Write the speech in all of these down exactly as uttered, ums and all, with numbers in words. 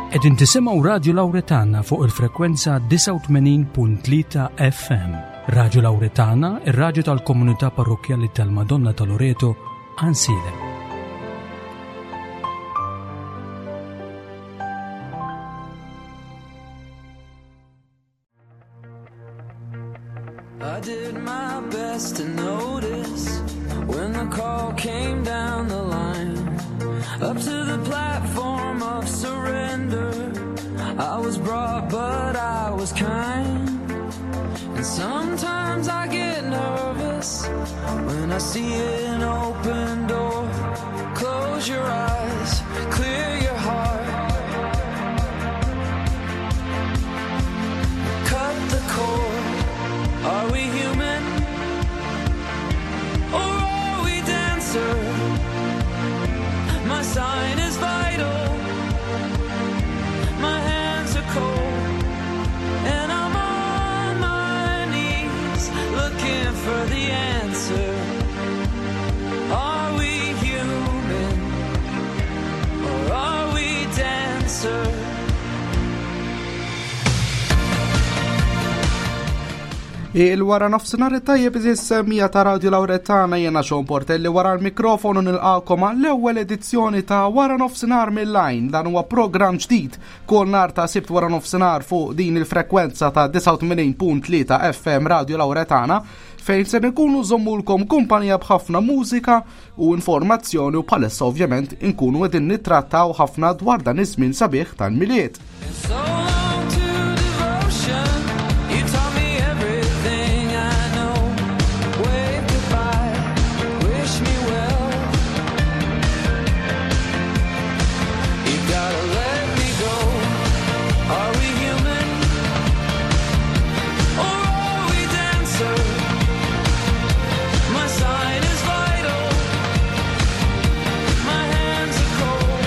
Qegħdin tisimgħu Radio Lauretana fuq il-frekwenza disgħa u tmenin punt tlieta F M. Radio Lauretana, ir-radju tal-komunità parrokkjali tal-Madonna ta' Loreto, Għajnsielem. I did my best to notice when the call came down the line. Up to the platform of surrender. I was brought, but I was kind. And sometimes I get nervous when I see an open door. Close your eyes, clear your heart. Cut the cord. Are we human? Or are we dancer? My sign is vital. My hands are cold. And I'm on my knees looking for the answer. Are we human? Or are we dancer? Il-wara nofsinhar tajjeb, għeżież semmiegħa ta' Radio Lauretana. Jiena Sean Portelli wara l-mikrofonu, nilqakom għall-ewwel edizzjoni ta' Wara Nofsinhar mill-Line. Dan huwa programm ġdid kull nhar ta' Sibt wara nofsinhar fuq din il-frekwenza ta' disgħa u tmenin punt tlieta F M Radio Lauretana, fejn se nkunu nżommulkom kumpanija b'ħafna mużika u informazzjoni, u bħalissa ovvjament inkunu qegħdin nittrattaw ħafna dwar dan iż-żmien sabiħ tal-Milied. So long to devotion. You taught me everything I know. Wave goodbye, wish me well. You gotta let me go. Are we human? Or are we dancer? My sign is vital. My hands are cold.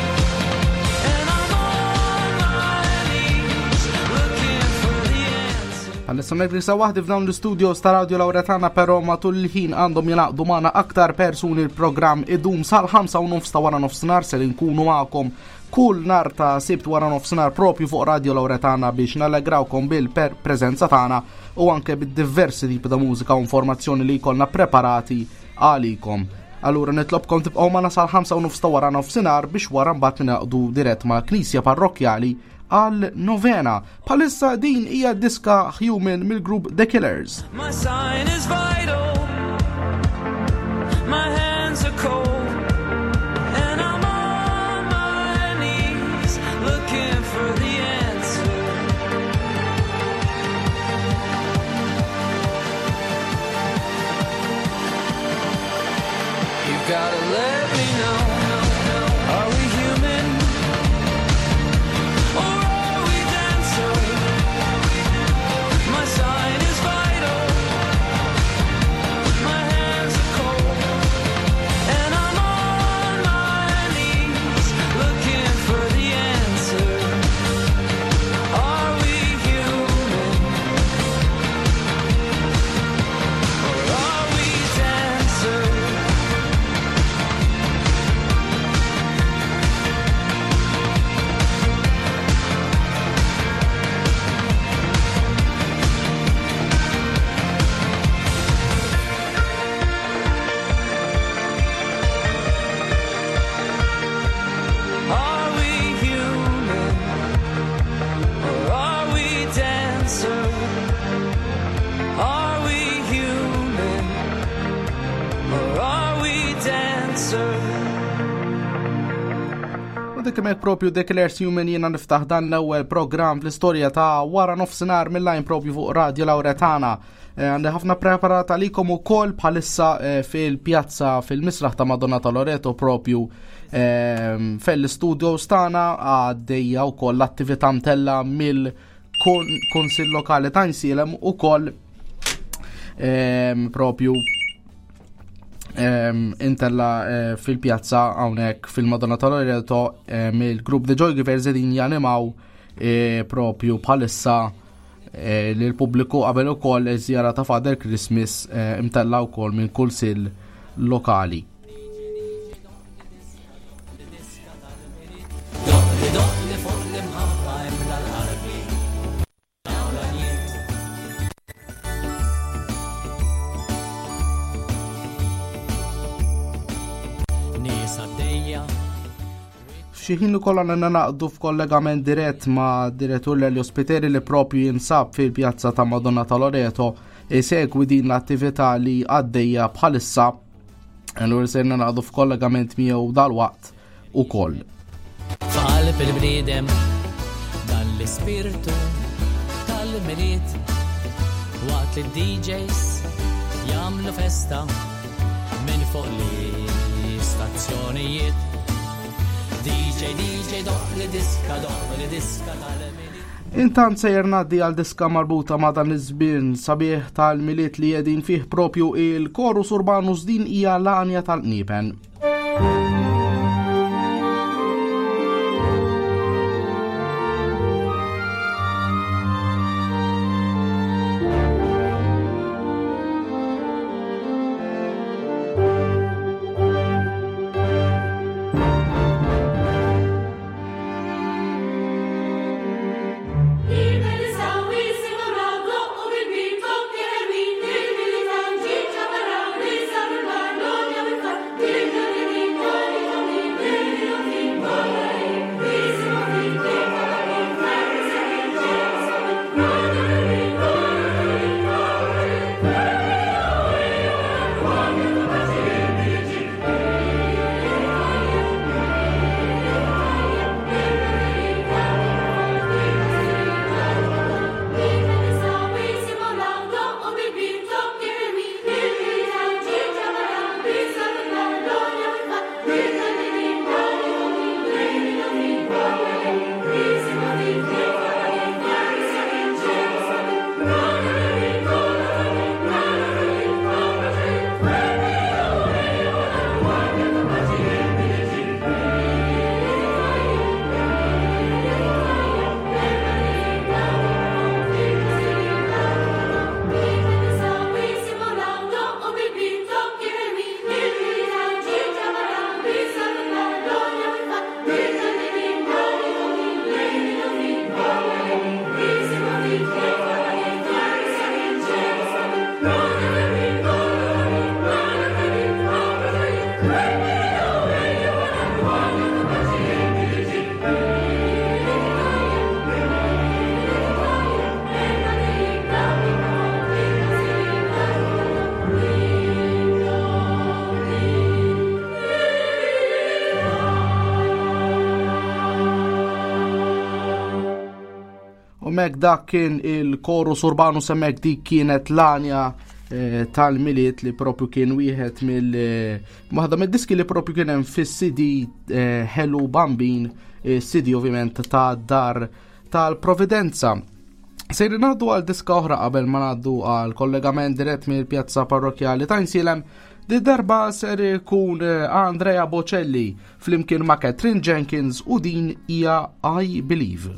And I'm on my knees looking for the answer. Għalissa negrisa waħdi f'dawn l-studios ta' Radio Lauretana, pero matul il-ħin għandhom jingħaqdu magħna aktar persuni. Il-programm idum sal-ħamsa u nofs ta' wara nofsinhar. Se nkunu magħkom kull nhar ta' Sibt wara nofsinhar propju fuq Radio Lauretana biex nallegrawkom bil-preżenza tagħna u anke bid-diversi tipi ta' mużika u informazzjoni li jkollna preparati għalikom. Allura nitlobkom tibqgħu magħna sal-ħamsa u nofs ta' wara nofsinhar biex wara mbagħad ningħaqdu dirett ma' Knisja Parrokkjali għal novena. Bħalissa din hija diska Human mill-grupp The Killers. My sign is vital. My hands are cold. And I'm on my knees looking for the answer. You've gotta let me know. Are we human? Or are we dancer? My sign is vital. My hands are cold. And I'm on my knees looking for the answer. Are we human? Or are we dancer? Are we human or are we dancer? Are we human or are we dancer? U dik hemmhekk propju The Killers, Human, jiena niftaħ dan l-ewwel programm fl-istorja ta' Wara Nofsinhar mill-Line propju fuq Radio Lauretana. Eh, Għandi ħafna preparat għalikom ukoll. Bħalissa eh, fil-pjazza fil-misraħ ta' Madonna ta' Loreto, propju eh, fell-studio stana, għaddejja wkoll l-attività mtella mill-Kunsill Lokali ta' Għajnsielem ukoll ehm, propju ehm, intella eh, fil-pjazza hawnhekk fil-Madonna ta' Loreto mill-grupp The Joy Givers, qegħdin janimaw eh, propju bħalissa eh, li l-pubbliku qabel ukoll iż-żjara ta' Father Christmas eh, imtella wkoll minn kunsill lokali. Doqli doqli fuq l-imħabba. Nies għaddejja. F'xi ħin ukoll għandna naqdu f'kollegament dirett ma' direttur Lelio Spiteri li propju jinsab fil-pjazza ta' Madonna ta' Loreto isegwi din l-attività li għaddejja bħalissa. Allura serna naqdu f'kollegament miegħu dalwaqt ukoll. F'qalb il-bniedem dan l-ispirtu tal-Milied, waqt li D Js jagħmlu festa minn fuq l-istazzjonijiet. D J, D J, doq li diska, doq li diska tal-Milied. Intant sejjer ngħaddi għal diska marbuta ma' dan iż-żmien sabiħ tal-Milied li qegħdin fih propju il-Chorus Urbanus, din hija l-għanja tal-qniepen. Mek dak kien il-Chorus Urbanus, hemmhekk dik kienet l-għanja, eh, tal-Milied li propju kien wieħed mill, eh, waħda mid-diski li propju kien hemm fis-C D, eh, Hello Bambin, eh, C D ovvjament ta' Dar tal-Providenza. Sejri ngħaddu għal diska oħra qabel ma ngħaddu għal kollegament dirett mill-Pjazza Parrokjali ta' Għajnsielem. Di darba ser ikun, eh, Andrea Bocelli flimkien ma' Katherine Jenkins u din hija I Believe.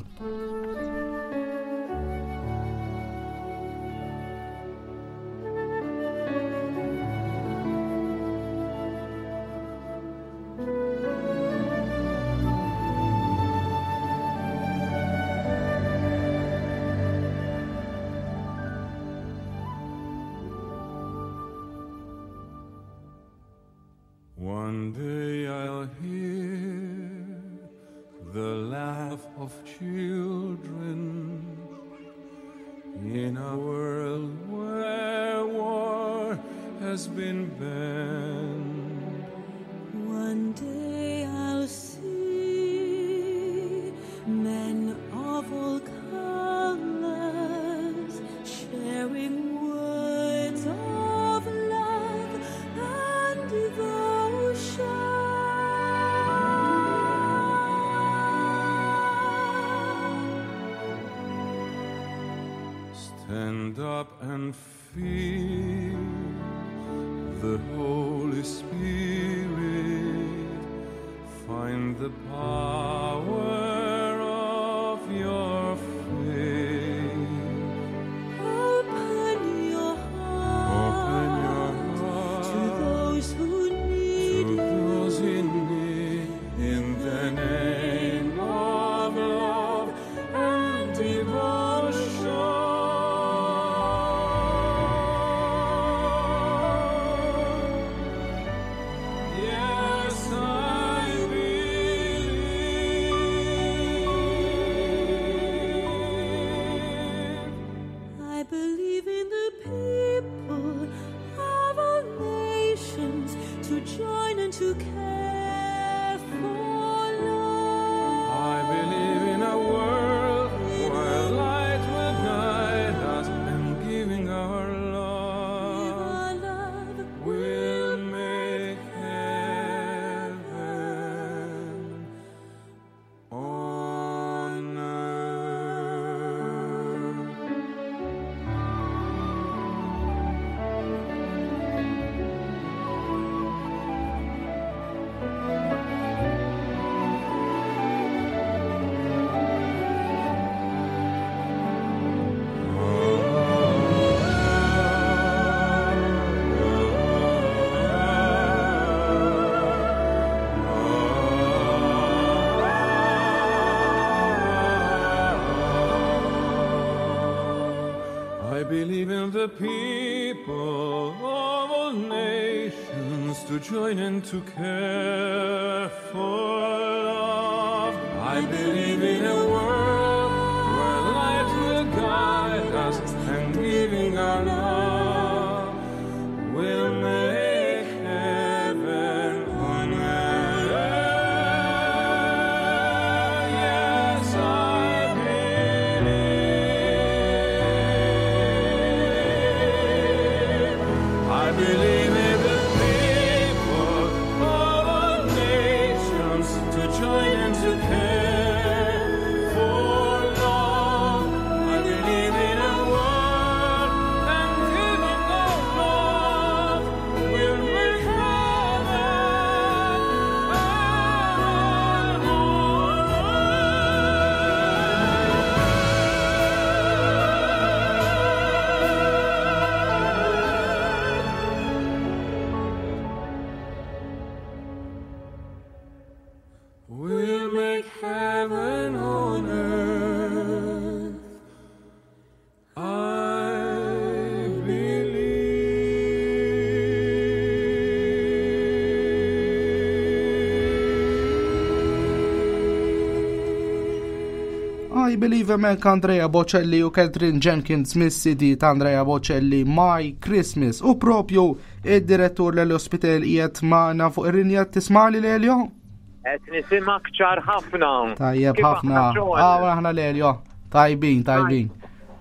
One day I'll hear the laugh of children in a world where war has been banned. One day I'll see men of all colors sharing words of love and devotion. Stand up and feel the Holy Spirit. Find the power of your faith. Open your heart, Open your heart to those who need to those in need. In the name of love and devotion. Yes, I the people of all nations to join in to care for love. I believe in a world where light will guide us and giving our love will make heaven on earth. Yes, I believe. I believe in the people of all nations to join and to care for love. I believe in a world and giving of love will make heaven on We'll make heaven on earth. I believe. I Believe hemmhekk Andrea Bocelli u Katherine Jenkins mis-C D ta' Andrea Bocelli My Christmas, u propju id-direttur Lelio Spiteri qiegħed magħna fuq ir-rinja. Tismagħni, Lelio? Qed nisimak ċar ħafna. Tajjeb Kif ħafna. aħna, Sean? Ah, aħna, Lelio. Tajbin, tajbin.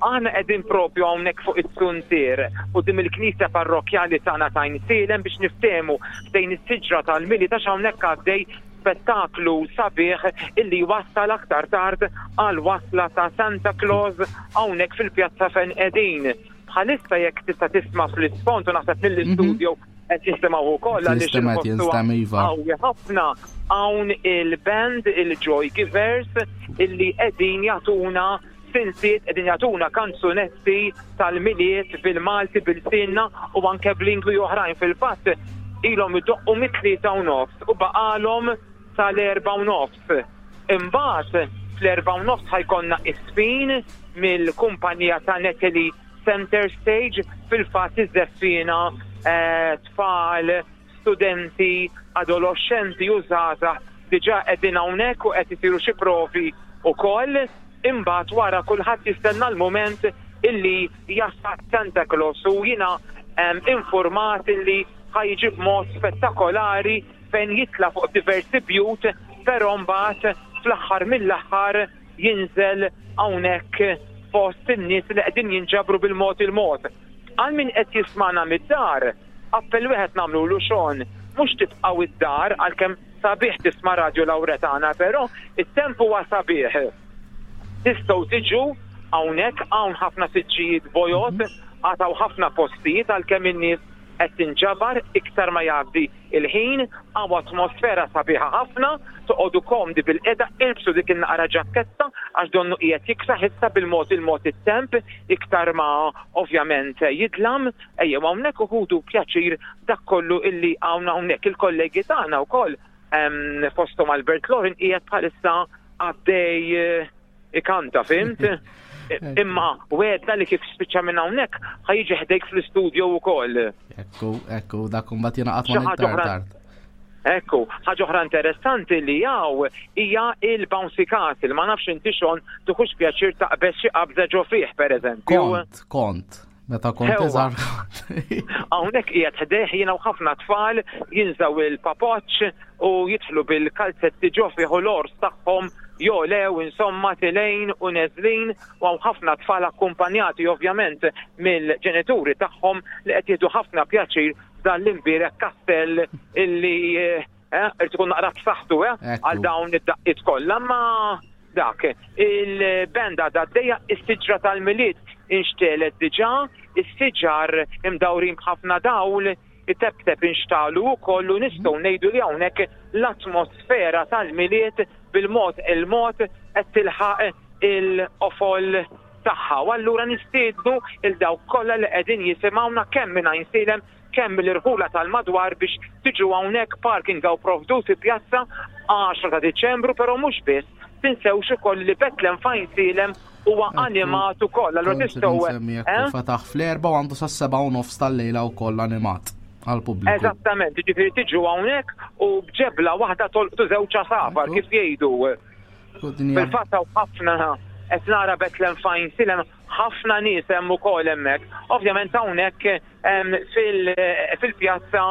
Aħna qegħdin propju hawnhekk fuq it-suntier quddiem il-Knisja Parrokkjali tagħna ta' Għajnsielem biex niftehmu ħdejn is-siġra tal-Milied, għax hawnhekk għaddej spettaklu sabiħ illi wassal aktar tard għal wasla ta' Santa Claus hawnhekk fil-pjazza fejn qegħdin. Bħalissa jekk tista' tisma' fl-isfond, u naħseb mill-istudio qed jisimgħu wkoll għaliex Jinstema', il-ħoss huwa jinstema', iva. qawwi ħafna, hawn il-band, il-Joy Givers, illi qegħdin jagħtuna siltiet, qegħdin jagħtuna kanzunetti tal-Milied bil-Malti, bil-Sinna u anke b'lingwi oħrajn. Fil-fatt ilhom idoqqu mit-tlieta u nofs u baqalhom sal-erba' u nofs. Imbagħad fl-erba' u nofs ħa jkollna żfin mill-kumpanija ta' Natalie Center Stage, fil-fatt iż-żeffina eh, tfal, studenti, adolescenti u żgħażagħ diġà qegħdin hawnhekk u qed isiru xi provi wkoll. Imbagħad wara kulħadd jistenna l-mument illi jasal Santa Claus u jiena em, informat illi ħa jiġi b'mod spettakolari fejn jitla fuq diversi bjut, però mbagħad fl-aħħar mill-aħħar jinżel hawnhekk fost in-nies li qegħdin jinġabru bil-mod il-mod. Għal min qed jismana mid-dar, appell wieħed nagħmlu, Sean, mhux tibqgħu id-dar għalkemm sabiħ tisma' Radio Lauretana, però it-temp huwa sabiħ. Tistgħu tiġu hawnhekk, hawn ħafna siġġijiet bojod, għad hawn ħafna postijiet għalkemm in-nies qed tinġabar iktar ma jgħaddi il-ħin, hawn atmosfera sabiħa ħafna, toqogħdu komdi bil-qeda, ilbsu dik il-naqra ġakketta għax donnu qiegħed jiksaħ issa bil-mod il-mod it-temp iktar ma ovvjament jidlam, ejjew hawnhekk u ħudu pjaċir dak kollu illi hawn hawnhekk. Il-kollegi tagħna wkoll em, fosthom Albert Lorin qiegħed bħalissa għaddej eh, ikanta, fhimt? Imma wegħedna li kif spiċċa minn hawnhekk ħa jiġi ħdejk fl-istudio wkoll. Ekku, ekku, dak mbagħad jingħaqad Xi ma' ħaġa iktar oħra- tard. Ekku, ħaġa oħra interessanti li hawn hija il-bouncy castle, ma nafx inti, Sean, tieħux pjaċir taqbeż xi qabża ġo fih, pereżempju. Kont, kont. Meta kont Ewwa. iżgħar. Hawnhekk qiegħed ħdejh jiena u ħafna tfal jinżgħu il-papoċ u jidħlu bil-kalzetti ġo fih u l-ors tagħhom jolew insomma telgħin u neżlin, u hawn ħafna tfal akkumpanjati ovvjament mill-ġenituri tagħhom li qed jieħdu ħafna pjaċir dan l-imbierek kastell illi eh, irid ikun naqra b'saħħtu eh, Ekku. għal dawn id-daqqiet kollha, ma dak il-benda għaddejja, is-siġra tal-Milied inxtegħlet diġà, is-siġar imdawrin b'ħafna dawl iteptep inxtegħlu wkoll, u nistgħu ngħidu li hawnhekk l-atmosfera tal-Milied bil-mod il-mod qed tilħaq il-qofol tagħha. U allura nistiednu lil dawk kollha li qegħdin jisimgħuna kemm minn Għajnsielem, kemm mill-irħula tal-madwar biex tiġu hawnhekk. Parking hawn provdut fi pjazza għaxra ta' Diċembru, però mhux biss Tinsewx ukoll li Betlem f'Għajnsielem huwa animat ukoll. Allura tistgħu eh? Fetaħ fl-erba' u għandu sas-seba' u nofs tal-lejla wkoll animat għall-pubbliku. Eżattament, jiġifieri tiġu hawnhekk u b'ġebla waħda tolqtu żewġ għasafar kif jgħidu. Fil-fatt hawn ħafna qed nara Betlem f'Għajnsielem ħafna nies hemm ukoll hemmhekk. Ovvjament hawnhekk fil-pjazza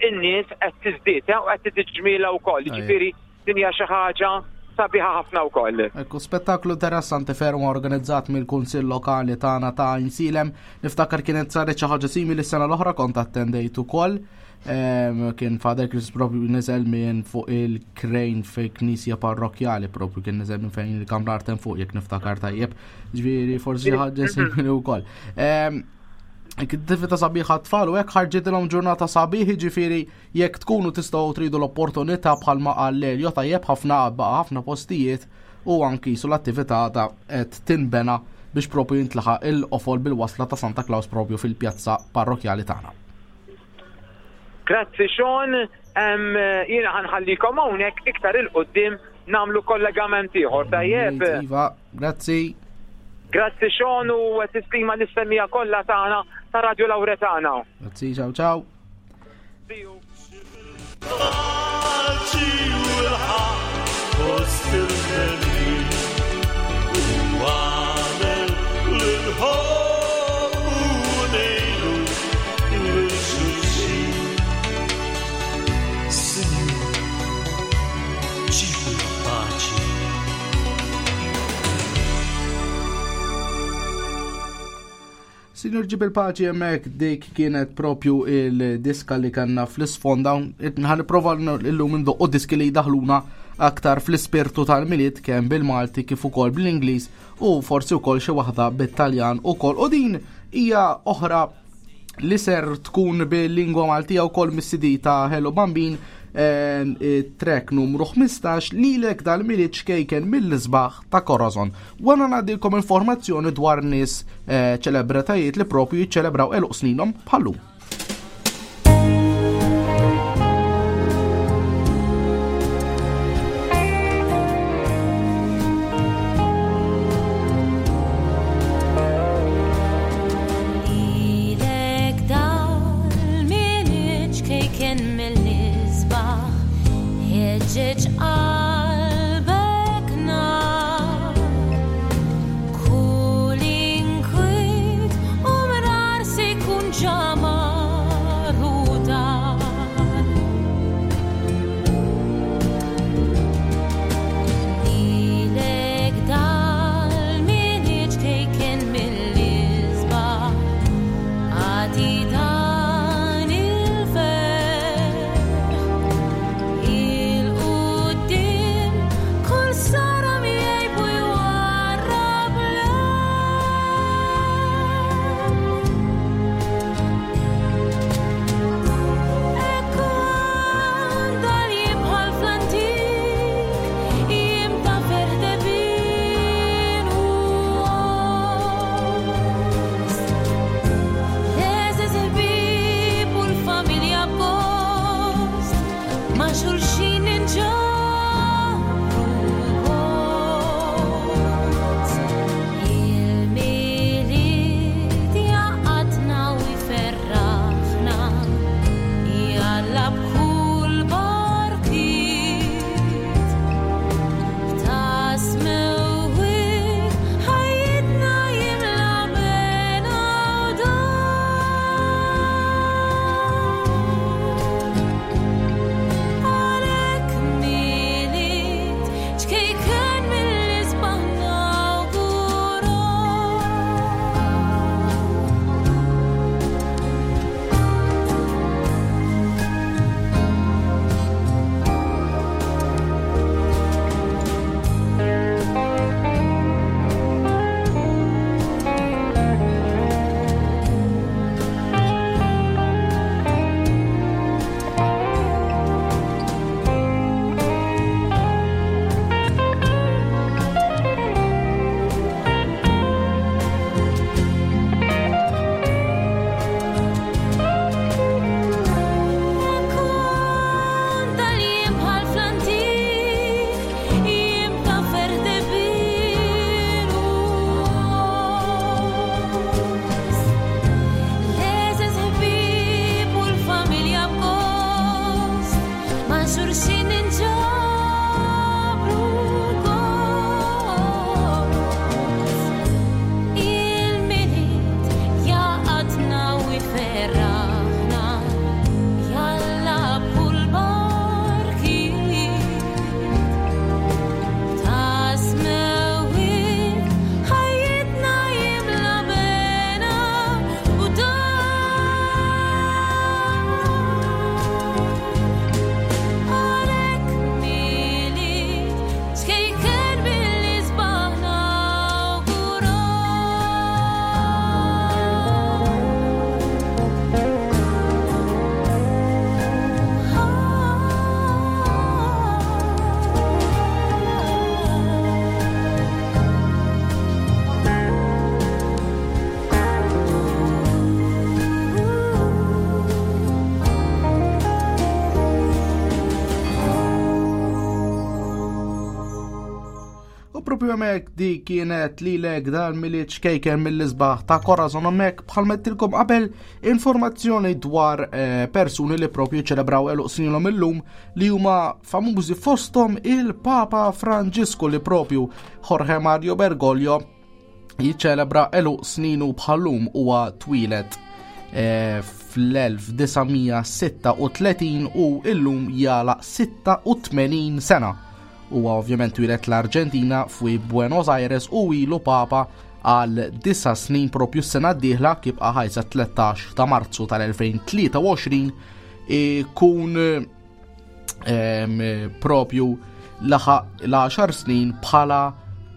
in-nies qed tiżdied u qed tiġmila wkoll. Jiġifieri din hija xi ħaġa sabiħa ħafna wkoll. Ekku, spettaklu interessanti ferm organizzat mill-Kunsill Lokali tagħna ta' Għajnsielem. Niftakar kienet saret xi ħaġa simili s-sena l-oħra, kont attendejt ukoll. Kien Father Chris propju niżel minn fuq il-krejn fi knisja parrokjali, propju kien niżel minn fejn il-kamra artem fuq, jekk niftakar tajjeb. Ġifieri forsi xi ħaġa simili wkoll. Attività sabiħa tfal u hekk ħarġitilhom ġurnata sabiħ, jiġifieri jekk tkunu tistgħu tridu l-opportunità bħalma qal Lelio tajjeb ħafna baqa' ħafna postijiet u anki su l-attività ta' qed tinbena biex propju jintlaħaq il-qofol bil-wasla ta' Santa Claus propju fil-pjazza parrokjali tagħna. Grazzi Sean, jiena ħanħallikom hawnhekk iktar il-qudiem nagħmlu kollegament ieħor tajjeb. Iva, grazzi. Grazzi Sean u tislima l-istemmija kollha tagħna ta' Radio Lauretana. Grazzi, ciao ciao. See you. Signor Ġib il-Paċi hemmhekk dik kienet propju il-diska li kanna fl-isfond hawn. Ħa nipprova illum indoqqu diski li jdaħluna aktar fl-ispirtu tal-Milied kemm bil-Malti kif ukoll bl-Ingliż u forsi wkoll xi waħda bit-Taljan ukoll. U din hija oħra li ser tkun bil-lingwa Maltija wkoll mis-C D ta' Hello Bambin, track numru ħmistax lilek dal-Milied xkejken mill-isbaħ ta' Corazon. Wara ngħadilkom informazzjoni dwar nies ċelebratajiet li propju jiċċelebraw għeluq sninhom bħallum. Il Propju hemmhekk di kienet lilek dal-Milied ċkejken mill-isbaħ ta' Corazon. Hemmhekk bħal m'għedtilkom qabel, informazzjoni dwar eh, persuni li propju ċelebraw għeluq sninhom illum li huma famużi, fostom il-Papa Franġisku, li propju Jorge Mario Bergoglio jiċċelebra għeluq sninu bħal-lum. Huwa twieled eh, fl-elf disa' mija sitta u tletin u illum jagħlaq sitta u tmenin sena. Huwa ovvjament twieled l-Arġentina fi Buenos Aires u ilu Papa għal disa' snin propju s-sena d-dieħla, kif ħajsa tlettax ta' Marzu tal-elfejn tlieta u għoxrin ikun em, propju laħaq l-għaxar snin bħala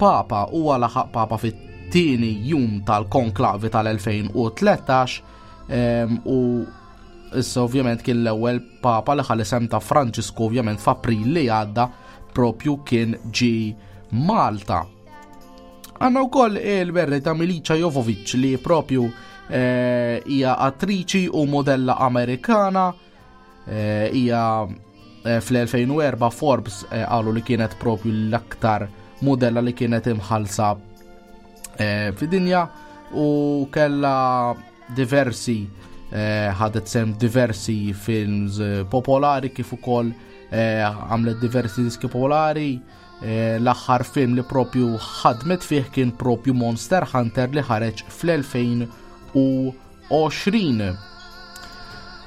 Papa. Huwa laħaq Papa fit-tieni jum tal-konklavi tal-elfejn u tlettax em, u issa ovvjament kien l-ewwel Papa li ħa l-isem ta' Franġisku. Ovvjament f'April li għadda propju kien ġi Malta. Għandna wkoll il-birthday ta' Milica Jovovic, li propju eh, hija attriċi u modella Amerikana. eh, hija eh, fl-elfejn u erbgħa Forbes eh, qalu li kienet propju l-aktar modella li kienet imħalsa eh, fid-dinja u kella diversi eh, ħadet sehem diversi films eh, popolari kif ukoll eh, għamlet diversi diski popolari. eh, L-aħħar film li propju ħadmet fih kien propju Monster Hunter li ħareġ fl-elfejn u għoxrin.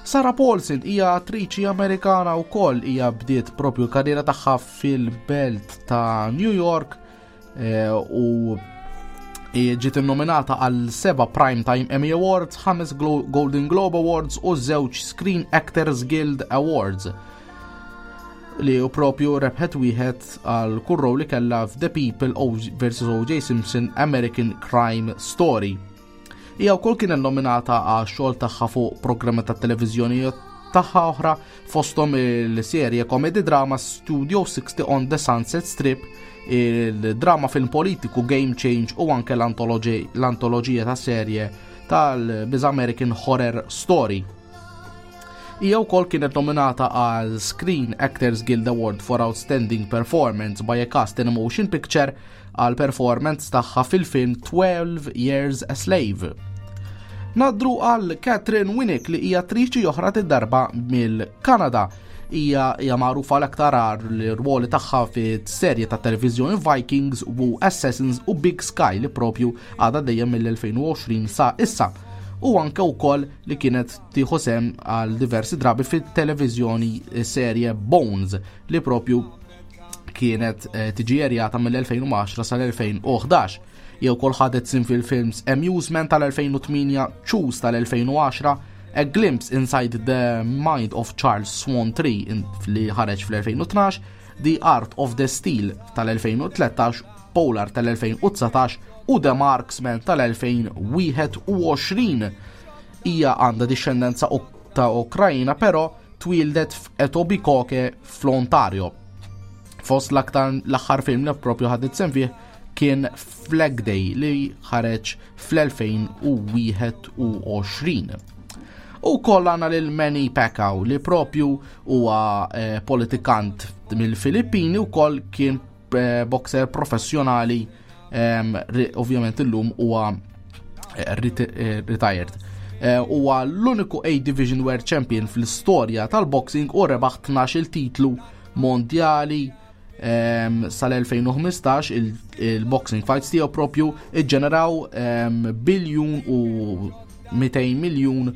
Sarah Paulson hija attriċi Amerikana wkoll. Hija bdiet propju l-karriera tagħha fil-belt ta' New York eh, u ġiet innominata għal seba' Primetime Emmy Awards, ħames Glo Golden Globe Awards u żewġ Screen Actors Guild Awards, li u propju rebħet wieħed għal kull rol li kellha f'The People versus O J. Simpson American Crime Story. Hija wkoll kienet nominata għal xogħol tagħha fuq programmi ta' televiżjoni tagħha oħra, fosthom il-serje comedy drama Studio sixty on the Sunset Strip, il-drama film politiku Game Change u anke l-antoloġija ta' serje tal-biża' American Horror Story. Hija wkoll kienet nominata għal Screen Actors Guild Award for Outstanding Performance by a Cast in a Motion Picture għal performance tagħha fil-film twelve Years a Slave. Ngħaddu għal Katheryn Winnick, li hija attriċi oħra, darba mill-Kanada. Hija hija magħrufa l-aktar l-rwoli tagħha fit-serje ta' televiżjoni Vikings u Assassins u Big Sky, li propju għadha dejjem mill-elfejn u għoxrin sa issa. U anke wkoll li kienet tieħu sehem għal diversi drabi fit-televiżjoni serje Bones, li propju kienet eh, tiġi erjata mill-elfejn u għaxra sal-elfejn u ħdax. Jew ukoll ħadet sehem fil-films Amusement tal-elfejn u tmienja, Choose tal-elfejn u għaxra, A Glimpse Inside the Mind of Charles Swan three li ħareġ fl-elfejn u tnax, The Art of the Steal tal-elfejn u tlettax, Polar tal-elfejn u dsatax u The Marksman tal-elfejn u wieħed u għoxrin. Hija għandha discendenza ta' Ukrajina, però twieldet f'Etobicoke fl-Ontario. Fost l-aktar l-aħħar film li propju ħadet sehem fih kien Flag Day li ħareġ fl-elfejn u wieħed u għoxrin. U koll għandna lil Manny Pacquiao, li propju huwa eh, politikant mill-Filippini u koll kien eh, boxer professjonali, eh, ovvjament illum huwa eh, eh, retired. Huwa eh, l-uniku A Division World Champion fl-istorja tal-boxing u rebaħ tnax titlu mondjali um, sal-elfejn u ħmistax. Il-boxing fights tiegħu propju iġġeneraw um, biljun u mitejn miljun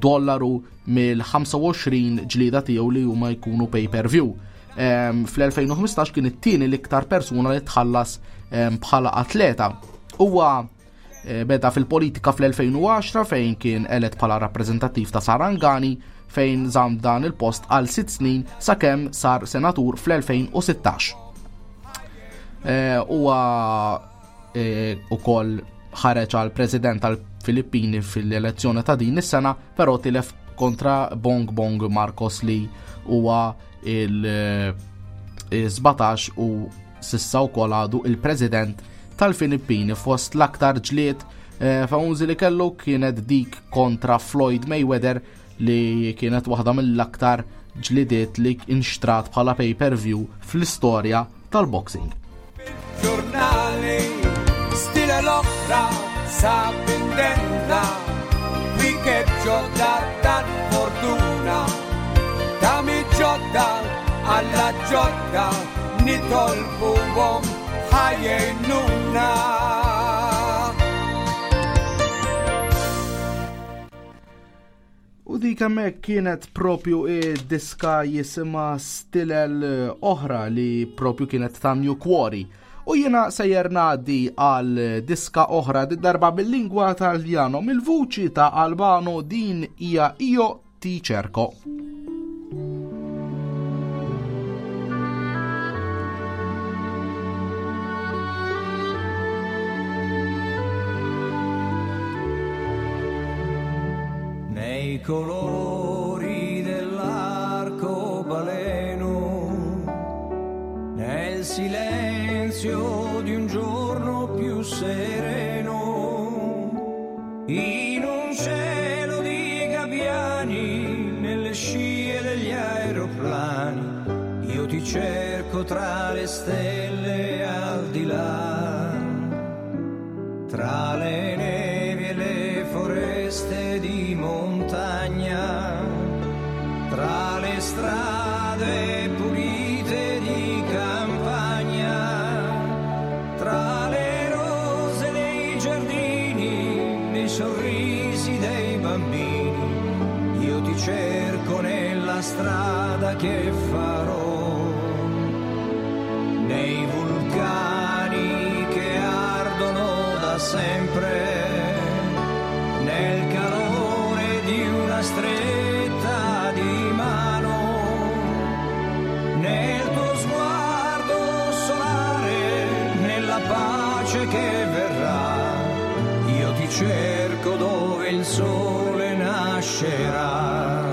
dollaru mill-ħamsa u għoxrin ġlida tiegħu li huma jkunu pay-per-view. Um, Fl-elfejn u ħmistax kien it-tieni l-iktar persuna li tħallas um, bħala atleta. Huwa eh, beda fil-politika fl-elfejn u għaxra, fejn kien elett bħala rappreżentattiv ta' Sarangani, fejn żamm dan il-post għal sitt snin sakemm sar senatur fl-elfejn u sittax. Huwa e, ukoll ħareġ għal president tal-Filippini fil-elezzjoni ta' din is-sena, però tilef kontra Bong Bong Marcos, li huwa il-sbatax u s'issa wkoll għadu il-president tal-Filippini. Fost l-aktar ġlied famużi li kellu kienet dik kontra Floyd Mayweather, li kienet waħda mill-aktar ġlidiet li inxtrat bħala pay-per-view fl-istorja tal-boxing. Giornale, stile l-oħra sa pendenda, che ġodda tal-fortuna, ta' ġodda alla ġodda, nitolbuhom ħajjnuna. U dik hemmhekk kienet propju id-diska jisimha Stilel Oħra li propju kienet ta' New Quarry. U jiena sejjer ngħaddi għal diska oħra di darba bil-lingwa Taljano mill-vuċi ta' Albano, din hija Io ti cerco. Nei colori dell'arcobaleno, nel silenzio di un giorno più sereno, in un cielo di gabbiani, nelle scie degli aeroplani, io ti cerco tra le stelle al di là, tra le nevi e le foreste di montagna, tra le strade pulite di campagna, tra le rose dei giardini, nei sorrisi dei bambini, io ti cerco nella strada che farò, nei vulcani che ardono da sempre, nel calore di una stretta di mano, nel tuo sguardo solare, nella pace che verrà, io ti cerco dove il sole nascerà.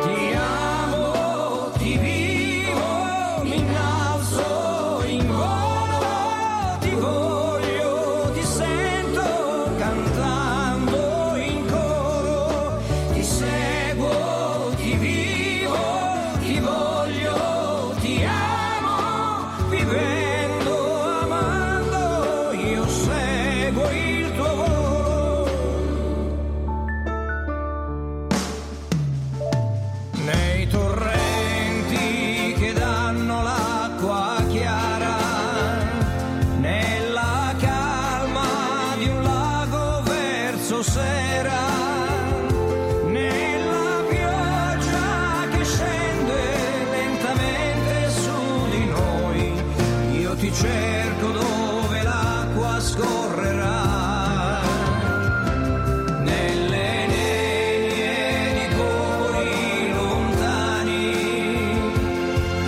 Ti amo, ti vivo, mi innalzo in volo, ti voglio, ti sento cantando in coro, ti seguo, ti vivo, ti voglio, ti amo, vivendo, amando, io seguo il tuo volo. Nei torrenti che danno l'acqua chiara, nella calma di un lago verso sera, nella pioggia che scende lentamente su di noi, io ti cerco dove l'acqua scorrerà. Nelle nebbie di popoli lontani,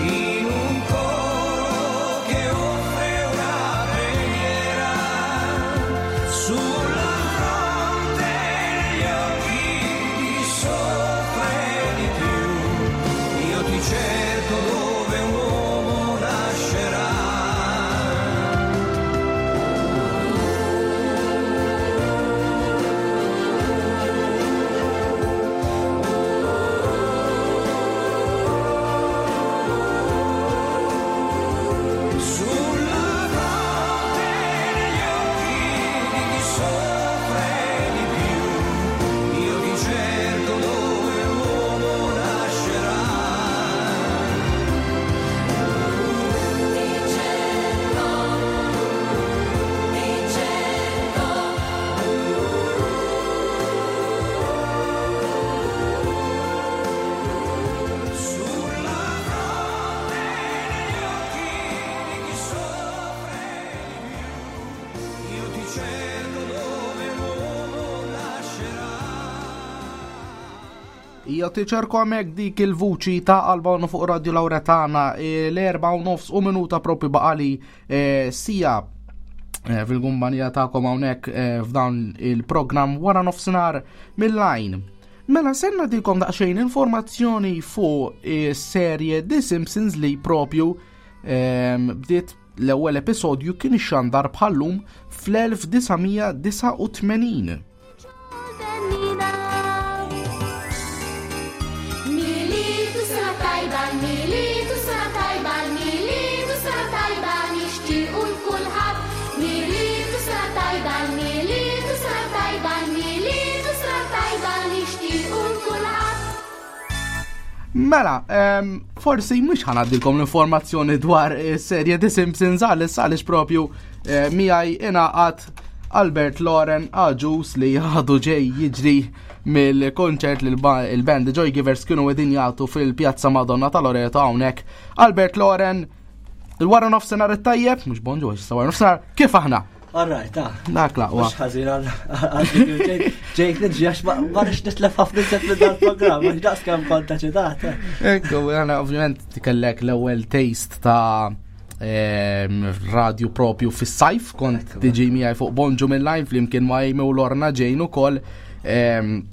in un coro che offre una preghiera, sulla fronte degli occhi di soffre di più, io ti cerco dove un uomo nascerà. Sulla fronte degli occhi di chi soffre di più, io ti cerco dove un uomo nascerà. Ti cerco, ti cerco. Sulla fronte degli occhi di chi soffre di più, io ti cerco dove un uomo nascerà. Io ti cerco hemmhekk dik il-vuċi ta' Albano fuq Radio Lauretana, eh, l-erba' u nofs u minuta propju baqali eh, sija eh, fil-kumpanija tagħkom hawnhekk eh, f'dan il-programm wara nofsinhar mill-lajn. Mela senna dikom daqsxejn informazzjoni fuq eh, serje The Simpsons li propju ehm, bdiet l-ewwel episodju kien ixxandar bħallum fl-elf disa' mija disa' u tmenin. Militu sena tajba, militu sena tajba, militu sena tajba. Mela, em, forsi mhux ħa ngħaddilkom l-informazzjoni dwar is-serje The Simpsons għal għaliex propju eh, miegħi ingħaqad Albert Loren Agius li għadu ġej jiġri mill-konċert li l-band Joy Givers kienu qegħdin jagħtu fil-Pjazza Madonna ta' Loreto hawnhekk. Albert Loren, il-wara nofsinhar it-tajjeb, mhux bonġu, issa wara nofsinhar, kif aħna? All right, ta' Dak laqwa. Mux ħażin għal ġejt niġi għax ma rridx nitlef ħafna iżjed minn dal-programm, għax daqs kemm kont eċitat. Ekku, għana ovvjament kellek l-ewwel taste ta' em, radio propju fis-sajf, kont Ekku. tiġi miegħi fuq Bonġu mill-line flimkien ma' Amy u Lorna Jane ukoll. Em,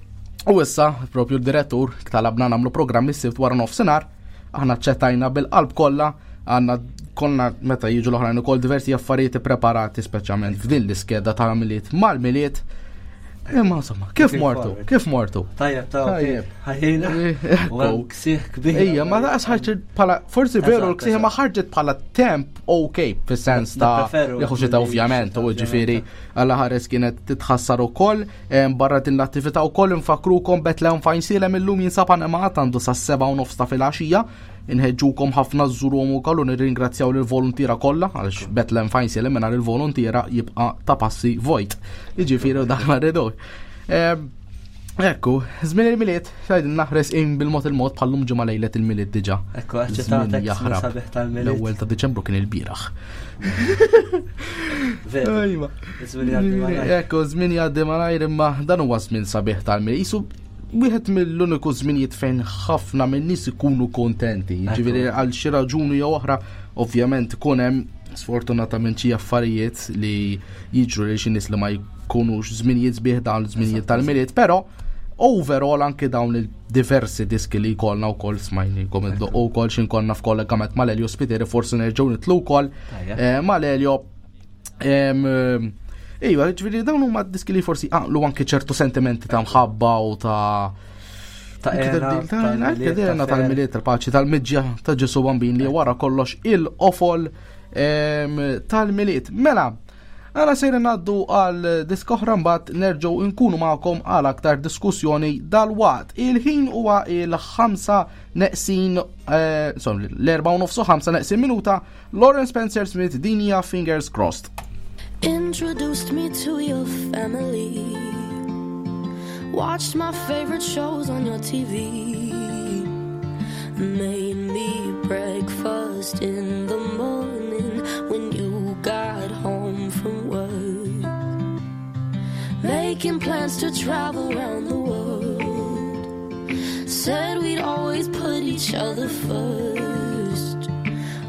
U issa, propju l-direttur, talabna nagħmlu programm is-sibt wara nofsinhar, aħna ċettajna bil-qalb kollha, għandna konna meta jiġu l-oħrajn ukoll diversi affarijiet preparati speċjalment f'din l-iskeda ta' Milied mal-Milied. Imma insomma, kif Looking mortu? forward. Kif mortu? Tajjeb, ta' Tajjeb. ħajjina. Ekku. U hemm ksieħ kbir. Ejja, ma daqs ħarġet bħala, forsi veru Eżatt, l-ksieħ ma eżatt. ħarġet bħala temp ok, fis-sens ta' Nippreferu jieħu xita li ovvjament, xita, u ġifieri ovvjament. għalla ħares kienet titħassar ukoll, em, barra din l-attività wkoll infakrukom Bethlehem f'Għajnsielem illum jinsab animat għandu sas-seba' u nofs ta' filgħaxija. Inħeġġukom ħafna żżuruhom ukoll u nirringrazzjaw lill-voluntiera kollha għaliex Bethlehem f'Għajnsielem mingħajr il-voluntiera jibqa' ta' passi vojt. Jiġifieri u dak ma rridux. Em, Ekku, żmien il-Milied, xajdin naħres in bil-mod il-mod bħallum ġimgħa lejlet il-Milied diġà. Ekku, Żmien eċitatek, jaħrab. sabiħ tal-Milied. L-ewwel ta' Diċembru kien il-bieraħ. Veru. Ejwa. Iż-żmien jgħaddi malajr. Ekku, żmien jgħaddi malajr imma dan huwa żmien sabiħ tal-Milied. Isu wieħed mill-uniku żminijiet fejn ħafna minn nies ikunu kontenti. Ġifieri għal xi raġuni jew oħra, ovvjament ikun hemm sfortunatament xi affarijiet li jiġru lil xi nies li ma jkunux żminijiet sbieħ dawn l-żminijiet tal-Milied, però overall anke dawn il-diversi diski li jkollna wkoll smajnikom id-doqqu wkoll xi nkonna f'kollegament mal-Elio Spiteri forsi nerġgħu nitlu wkoll Tajjeb. eh, mal-Elio. Em, em, Iva, ġifieri dawn huma diski li forsi għaqlu anke ċertu sentimenti ta' mħabba u ta' Ta' ena, tal-Milied, ta' tal-Milied, tal-paċi, tal-miġja ta' Ġesu Bambin li wara kollox il-qofol em, tal-Milied. Mela, għana sejra ngħaddu għal diska oħra mbagħad nerġgħu nkunu magħkom għal aktar diskussjoni dal-waqt. Il-ħin huwa il-ħamsa neqsin, eh, sorry, l-erba u nofsu ħamsa neqsin minuta, Lauren Spencer Smith din hija Fingers Crossed. Introduced me to your family. Watched my favorite shows on your T V. Made me breakfast in the morning when you got home from work. Making plans to travel around the world. Said we'd always put each other first.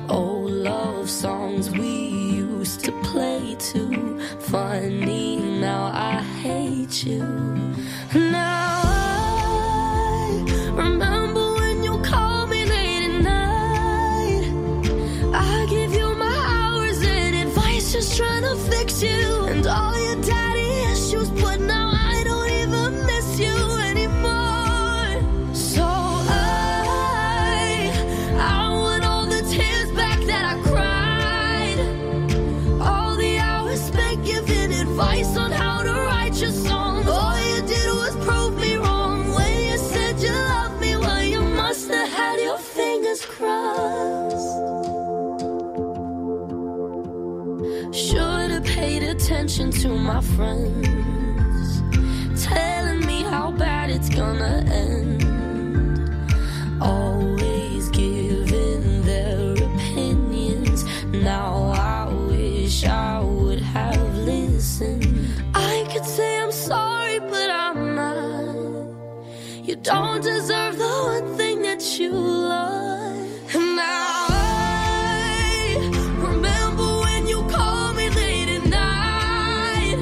Old love songs we used to play too. Funny, now I hate you. Now I remember when you called me late at night. I give you my hours and advice, just trying to fix you and all your daddy issues. But now I don't even miss you anymore. So I, I want all the tears back that I cried. All the hours spent giving advice on how to write your songs. All you did was prove me wrong. When you said you loved me, well, you must have had your fingers crossed. Should have paid attention to my friends, telling me how bad it's gonna end. Always giving their opinions. Now I wish I would have listened. I could say I'm sorry, but I'm not. You don't deserve the one thing that you love. Now I remember when you called me late at night,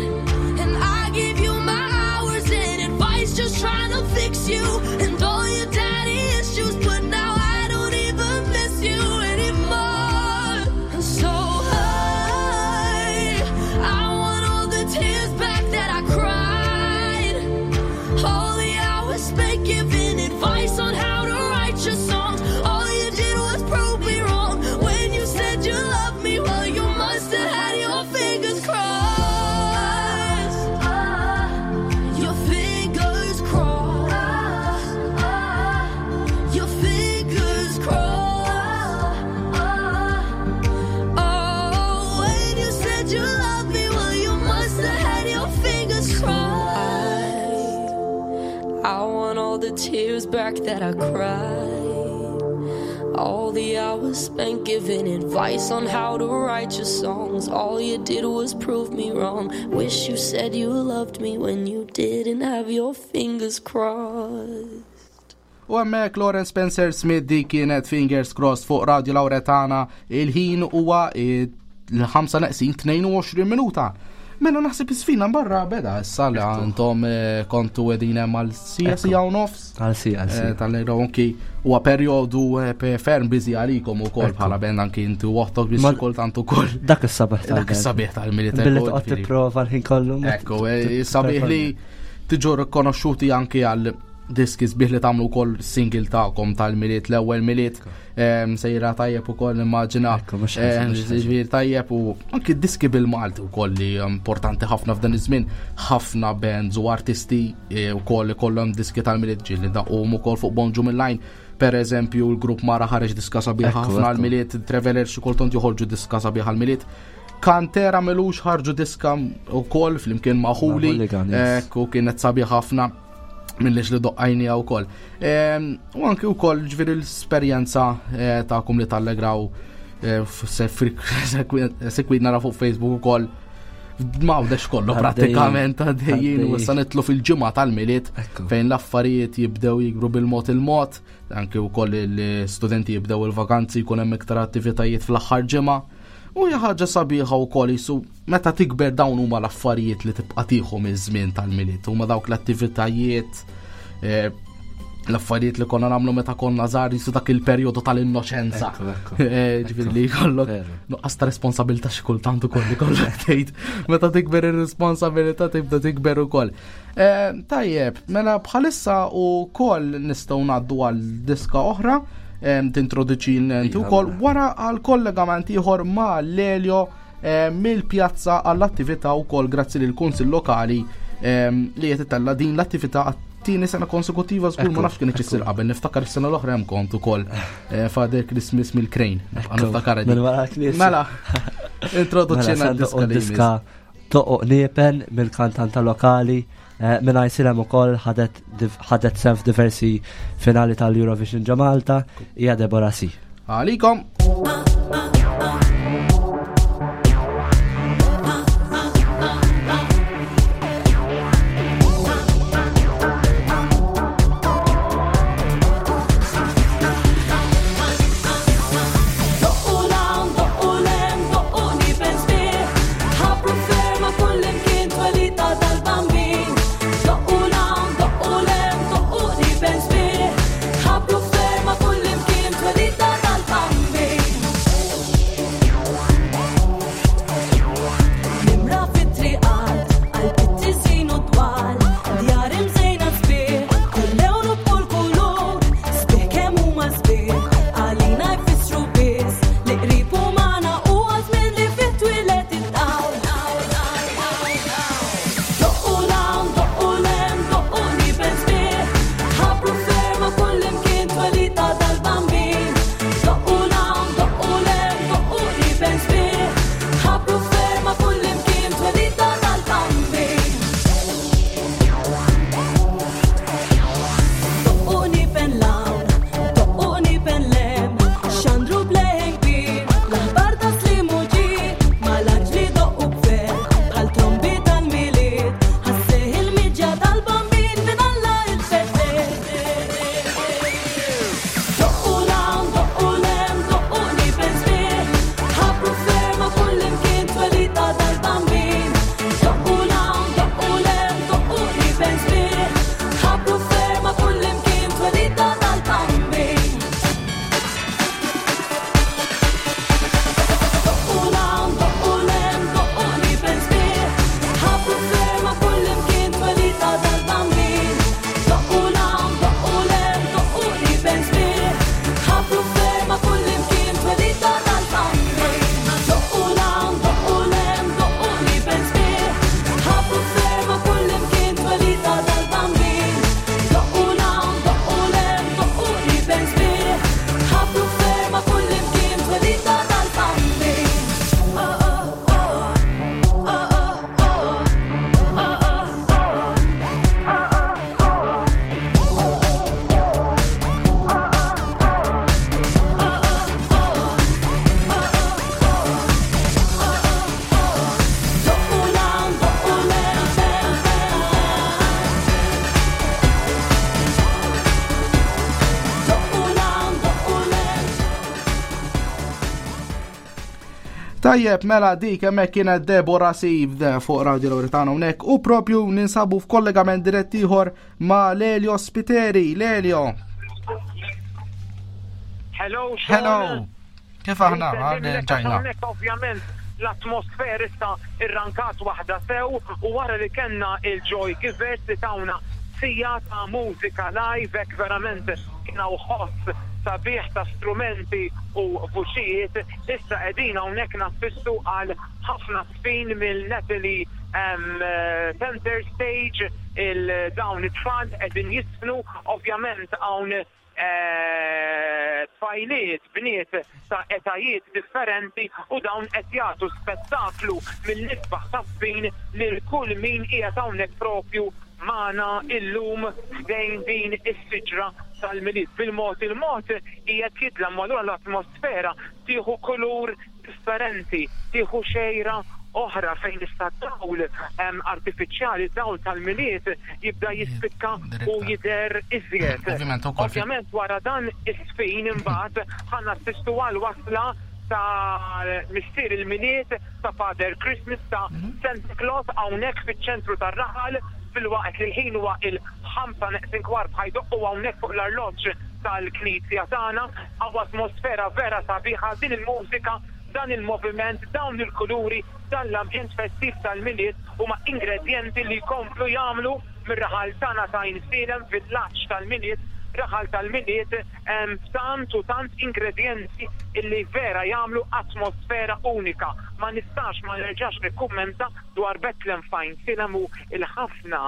and I gave you my hours and advice just trying to fix you and all your daddy issues. But now I don't even miss you anymore. And so I, I want all the tears back that I cried. All the hours spent giving advice on how to write your songs. All tears back that I cried. All the hours spent giving advice on how to write your songs. All you did was prove me wrong. Wish you said you loved me when you didn't have your fingers crossed. U hemmhekk Lauren Spencer Smith di kienet Fingers Crossed fuq Radio Lauretana il-ħin huwa l-ħamsa neqsin tnejn u għoxrin minuta. Mela naħseb isfina barra beda issa li għandhom eh, kontu qegħdin hemm għal siegħa siegħa u nofs. Għal siegħa, għal siegħa. Eh, Tal-lejra anki huwa perjodu eh, pe- ferm busy għalikom ukoll bħala band anki inti u oħtok biex Ma- kultant ukoll. Dak is-sabiħ tal Dak is-sabiħ tal-Milied. Billi ekku, toqgħod ġifieri. tipprova l-ħin kollu. ma Ekku, eh, sabiħ li tiġu rikonoxxuti anki għal diski sbieħ li tagħmlu wkoll single tagħkom tal-Milied, l-ewwel Milied em, sejra tajjeb ukoll immaġina. Ekku, mhux ħażin, mhux ħażin. Ġifieri tajjeb u anki diski bil-Malti wkoll li importanti ħafna f'dan iż-żmien, ħafna bands u artisti eh, wkoll ikollhom diski tal-Milied ġieli daqqhom ukoll fuq Bonġu Mill-Line. Per eżempju, l-grupp Mara ħareġ diska sabiħa Ekku, ħafna ekku. għal-Milied, Traveler xi kultant joħorġu diska sabiħa għal-Milied. Kantera m'ilux ħarġu diska ukoll flimkien ma' Huli, Hooligan, yes. ekku kienet sabiħ ħafna mill-lix li doqqajni għaw kol. U anki u kol ġifieri l-esperjenza eh, ta'kom li tallegraw eh, sekwit nara fuq Facebook u kol mawdex kollu Għaddejjin. pratikament għaddejjin u Għaddejjin. issa nitlu fil-ġimgħa tal-Milied Ekku. fejn l-affarijiet jibdew jikbru bil-mod il-mod, anki wkoll l-studenti jibdew il-vakanzi jkun hemm iktar attivitajiet fl-aħħar ġimgħa. U hija ħaġa sabiħa wkoll jisu meta tikber dawn huma l-affarijiet li tibqa' tieħu miż-żmien tal-Milied, huma dawk l-attivitajiet eh, l-affarijiet li konna nagħmlu meta konna żgħar jisu dak il-perjodu tal-innoċenza. Ekku, ekku. Eh, Ġifieri li jkollok Veru. nuqqas ta' responsabilità xi kultant ukoll li kollok tgħid meta tikber ir-responsabilità tibda tikber ukoll. Eh, Tajjeb, mela bħalissa ukoll nistgħu ngħaddu għal diska oħra em, tintroduċi inti Iva, wkoll mela. wara għal kollegament ieħor ma' Lelio eh, mill-pjazza għall-attività wkoll grazzi lil kunsill lokali em, li qed itella din l-attività għat-tieni sena konsekutiva żgur ma Ekku, nafx kien issir qabel niftakar is-sena l-oħra hemm kont ukoll eh, Father Christmas mill-Crane. Nibqa' Ekku, niftakar din. minn wara l-knisja. Mela, introduċina Mela, d-diska li diska Toqoq Niepen mill-kantanta lokali eh, minn Għajnsielem ukoll ħadet div- ħadet sehem f'diversi finali tal-Eurovision ġo Malta hija Deborah C. Għalikom. Doqqu 'l hawn, doqqu 'l hemm, doqqu qniepen sbieħ. Ħabbru ferma kullimkien twelid tal-Bambin. Doqqu 'l hawn, doqqu 'l hemm, doqqu qniepen sbieħ. Ħabbru ferma kullimkien twelid tal-Bambin. Tajjeb, mela dik hemmhekk kienet Deborah Sieve fuq Radio Lauretana hawnhekk u propju ninsabu f'kollegament dirett ieħor ma' Lelio Spiteri. Lelio. Hello, Sean. Hello. Kif aħna? Ġajna. Hawnhekk ovvjament l-atmosfera issa irrankat waħda sew u wara li kellna il-Joy Givers li tawna siegħa ta' mużika live, hekk verament kien hawn ħoss sabiħ ta' strumenti u vuċijiet, issa qegħdin hawnhekk nassistu għal ħafna żfin mill-Natalie Center Stage, il-dawn it-tfal qegħdin jiżfnu, ovvjament hawn tfajliet, bniet ta' etajiet differenti u dawn qed jagħtu spettaklu mill-isbaħ ta' żfin lil kull min qiegħed hawnhekk propju magħna illum ħdejn din is-siġra tal-Milied. Bil-mod il-mod qiegħed jidlam, allura l-atmosfera tieħu kulur differenti, tieħu xejra oħra fejn issa dawl artifiċjali, dawl tal-Milied jibda jispikka u jidher iżjed. Ovvjament ukoll fi- Ovvjament wara dan is-żfin imbagħad ħa nassistu għal wasla ta' missier il-Milied, ta' Father Christmas, ta' Santa Claus hawnhekk fiċ-ċentru tar-raħal, fil-waqt li l-ħin huwa il-ħamsa neqsin kwart ħa jdoqqu hawnhekk fuq l-arloġġ tal-knisja tagħna. Hawn atmosfera vera sabiħa, din il-mużika, dan il-moviment, dawn il-kuluri, dan l-ambjent festiv tal-Milied huma ingredjenti li jkomplu jagħmlu mir-raħal tagħna ta' Għajnsielem villaġġ tal-Milied, raħal tal-Milied, tant u tant ingredjenti illi vera jagħmlu atmosfera unika. Ma nistax ma nerġax nikkummenta dwar Bethlehem f'Għajnsielem u il-ħafna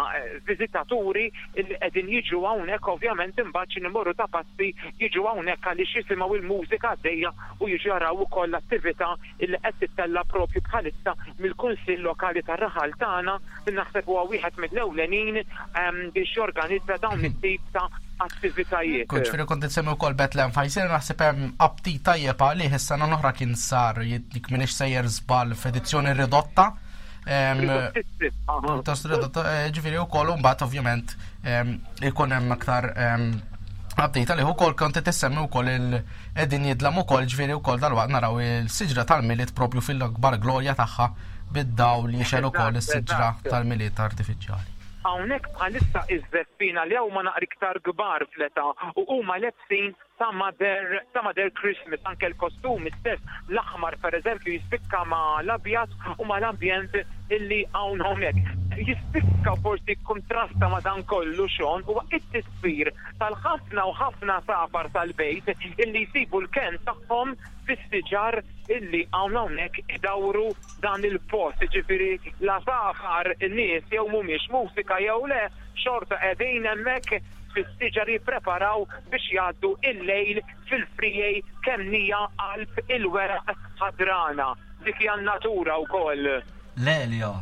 viżitaturi illi qegħdin jiġu hawnhekk, ovvjament imbagħad xi nimorru ta' passi jiġu hawnhekk għaliex jisimgħu il-mużika għaddejja u jiġu jaraw ukoll l-attività illi qed tittella propju bħalissa mill-Kunsill Lokali tar-raħal tagħna, li naħseb huwa wieħed mill-ewlenin biex jorganizza dawn it-tip ta' attivitajiet. Kont ġifieri kont insemmi wkoll Bethlehem f'Għajnsielem, naħseb hemm aptit tajjeb għalih, is-sena l-oħra kien sar jekk m'iniex sejjer żball f'edizzjoni ridotta. Pjuttost ridotta, ġifieri wkoll mbagħad ovvjament ikun hemm aktar update għalih ukoll. Kont qed issemmi wkoll il qegħdin jidlam ukoll, ġifieri wkoll dalwaqt naraw il-siġra tal-Milied propju fil-akbar glorja tagħha bid-dawl li jixgħel ukoll is-siġra tal-Milied artifiċjali. Hawnhekk bħalissa iż-żeffina li huma naqra iktar kbar fl-età u huma lebsin ta' Mother, ta' Mother Christmas, anke l-kostumi stess, l-aħmar per eżempju jispikka ma' l-abjad u ma' l-ambjent illi hawn hawnhekk. Jispikka forsi kontrasta ma' dan kollu, Sean, huwa it-tisfir tal-ħafna u ħafna għasafar tal-bejt illi jsibu l-ken tagħhom fis-siġar illi hawn hawnhekk idawru dan il-post. Ġifieri l-għasafar, in-nies jew mhumiex mużika jew le, xorta qegħdin hemmhekk fis-siġar jippreparaw biex jgħaddu il-lejl fil-frijej kemmija qalb il-weraq ħadrana. Dik hija n-natura wkoll. Lelio.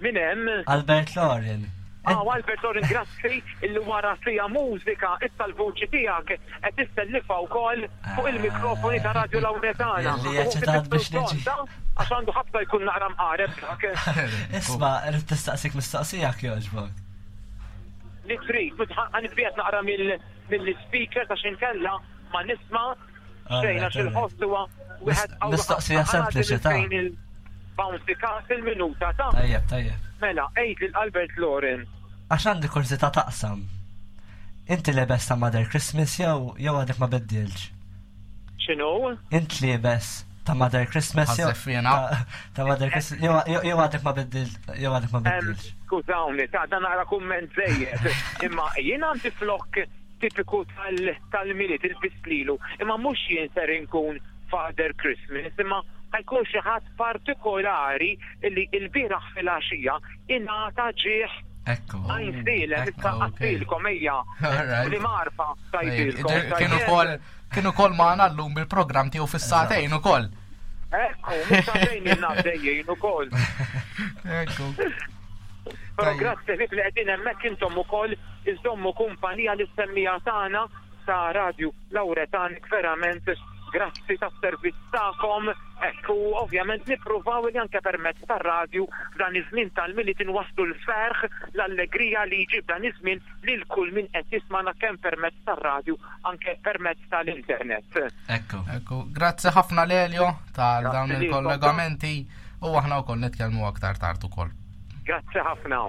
Min hemm? Albert Lorin. Ah, Albert Lorin, grazzi illi wara siegħa mużika issa l-vuċi tiegħek qed tissellifa wkoll fuq il-mikrofoni ta' Radio Lauretana. Illi eċitat biex niġi. Għax għandu ħabta jkun naqra mqareb dak. Isma', rrid tistaqsik mistoqsija jogħġbok. Li trid, ħa nitbiegħed naqra mill-speaker għax inkella ma nisma' xejn, għax il-ħoss huwa wieħed qawwi Mistoqsija ħafna. Sempliċi ta' Bouncy Castle minuta ta' Tajjeb, tajjeb. Mela, għid lil Albert Loren. Għax għandi kurżità taqsam. Inti lebes ta' Mother Christmas jew jew għadek ma biddilx? X'inhu? Int lebes ta' Mother Christmas jew Għaż-żeffina. ta' ta' Mother Christmas jew jew għadek ma biddilx jew għadek ma biddilx? Skużawni, ta' dan naqra kumment żejjed. Imma jien għandi flok tipiku tal-Milied il-bislilu, imma mhux jien ser inkun Father Christmas, imma ħa jkun xi ħadd partikolari illi il-bieraħ fil-għaxija ingħata ġieħ Ekku. Għajnsielem, issa Ekku, ok. għattilkom ejja. Alright. Li marfa tajtilkom. Kienu kol kienu kol magħna llum bil-programm tiegħu fis-sagħtejn ukoll. Ekku, mhux sagħtejn għaddejjin ukoll. Ekku. Però Tajjeb. grazzi ħbieb li qegħdin hemmhekk intom ukoll iżommu kumpanija li semmija tagħna ta' Radio Lauretanik, verament Grazzi tas-servizz tagħkom. Ekku, ovvjament nippruvaw li anke permezz tar-radju f'dan iż-żmien tal-Milied inwasslu l-ferħ, l-allegrija li jġib dan iż-żmien lil kull min qed jismana kemm permezz tar-radju anke permezz tal-internet. Ekku. Ekku, grazzi ħafna Lelio tal Grazzi dawn lilkom. il-kollegamenti u aħna wkoll nitkellmu aktar tard ukoll. Grazzi ħafna.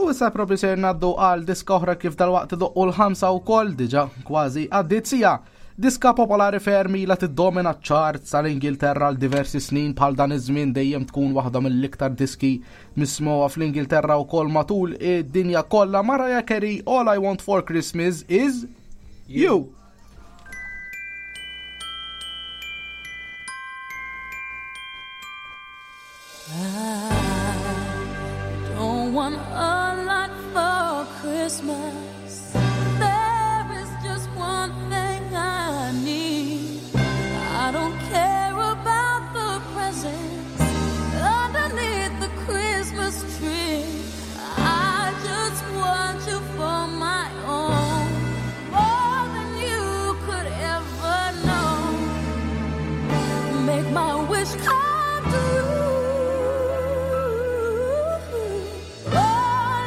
U issa propju ser naddu għal diska oħra kif dalwaqt idoqqu l-ħamsa wkoll diġà kważi għaddiet siegħa. Diska popolari ferm ilha tiddomina ċ-charts tal-Ingilterra għal diversi snin bħal dan iż-żmien dejjem tkun waħda mill-iktar diski mismugħa fl-Ingilterra wkoll matul id-dinja kollha. Mariah Carey, All I Want for Christmas is You. I don't want a lot for Christmas. There is just one thing I need. I don't care about the presents underneath the Christmas tree. I just want you for my own, more than you could ever know. Make my wish come true. All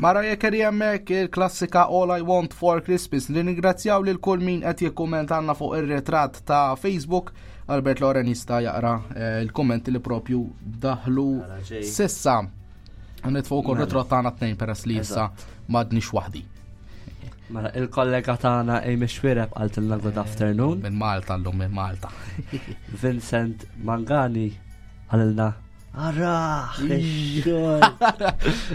Mariah Carey hemmhekk, il-klassika All I Want for Christmas. Nirringrazzjaw lil kull min qed jikkummentanna fuq ir-ritratt ta' Facebook. Albert Loren jista' jaqra eh, il-kommenti li propju daħlu Mela, ġej. Sissa. Nitfgħu wkoll ritratt tagħna tnejn peress li issa m'għadniex waħdi. Mela, il-kollega tagħna Amy Xwireb qaltilna good afternoon. Minn Malta llum, minn Malta. Vincent Mangani qalilna Arah, ix-xogħol.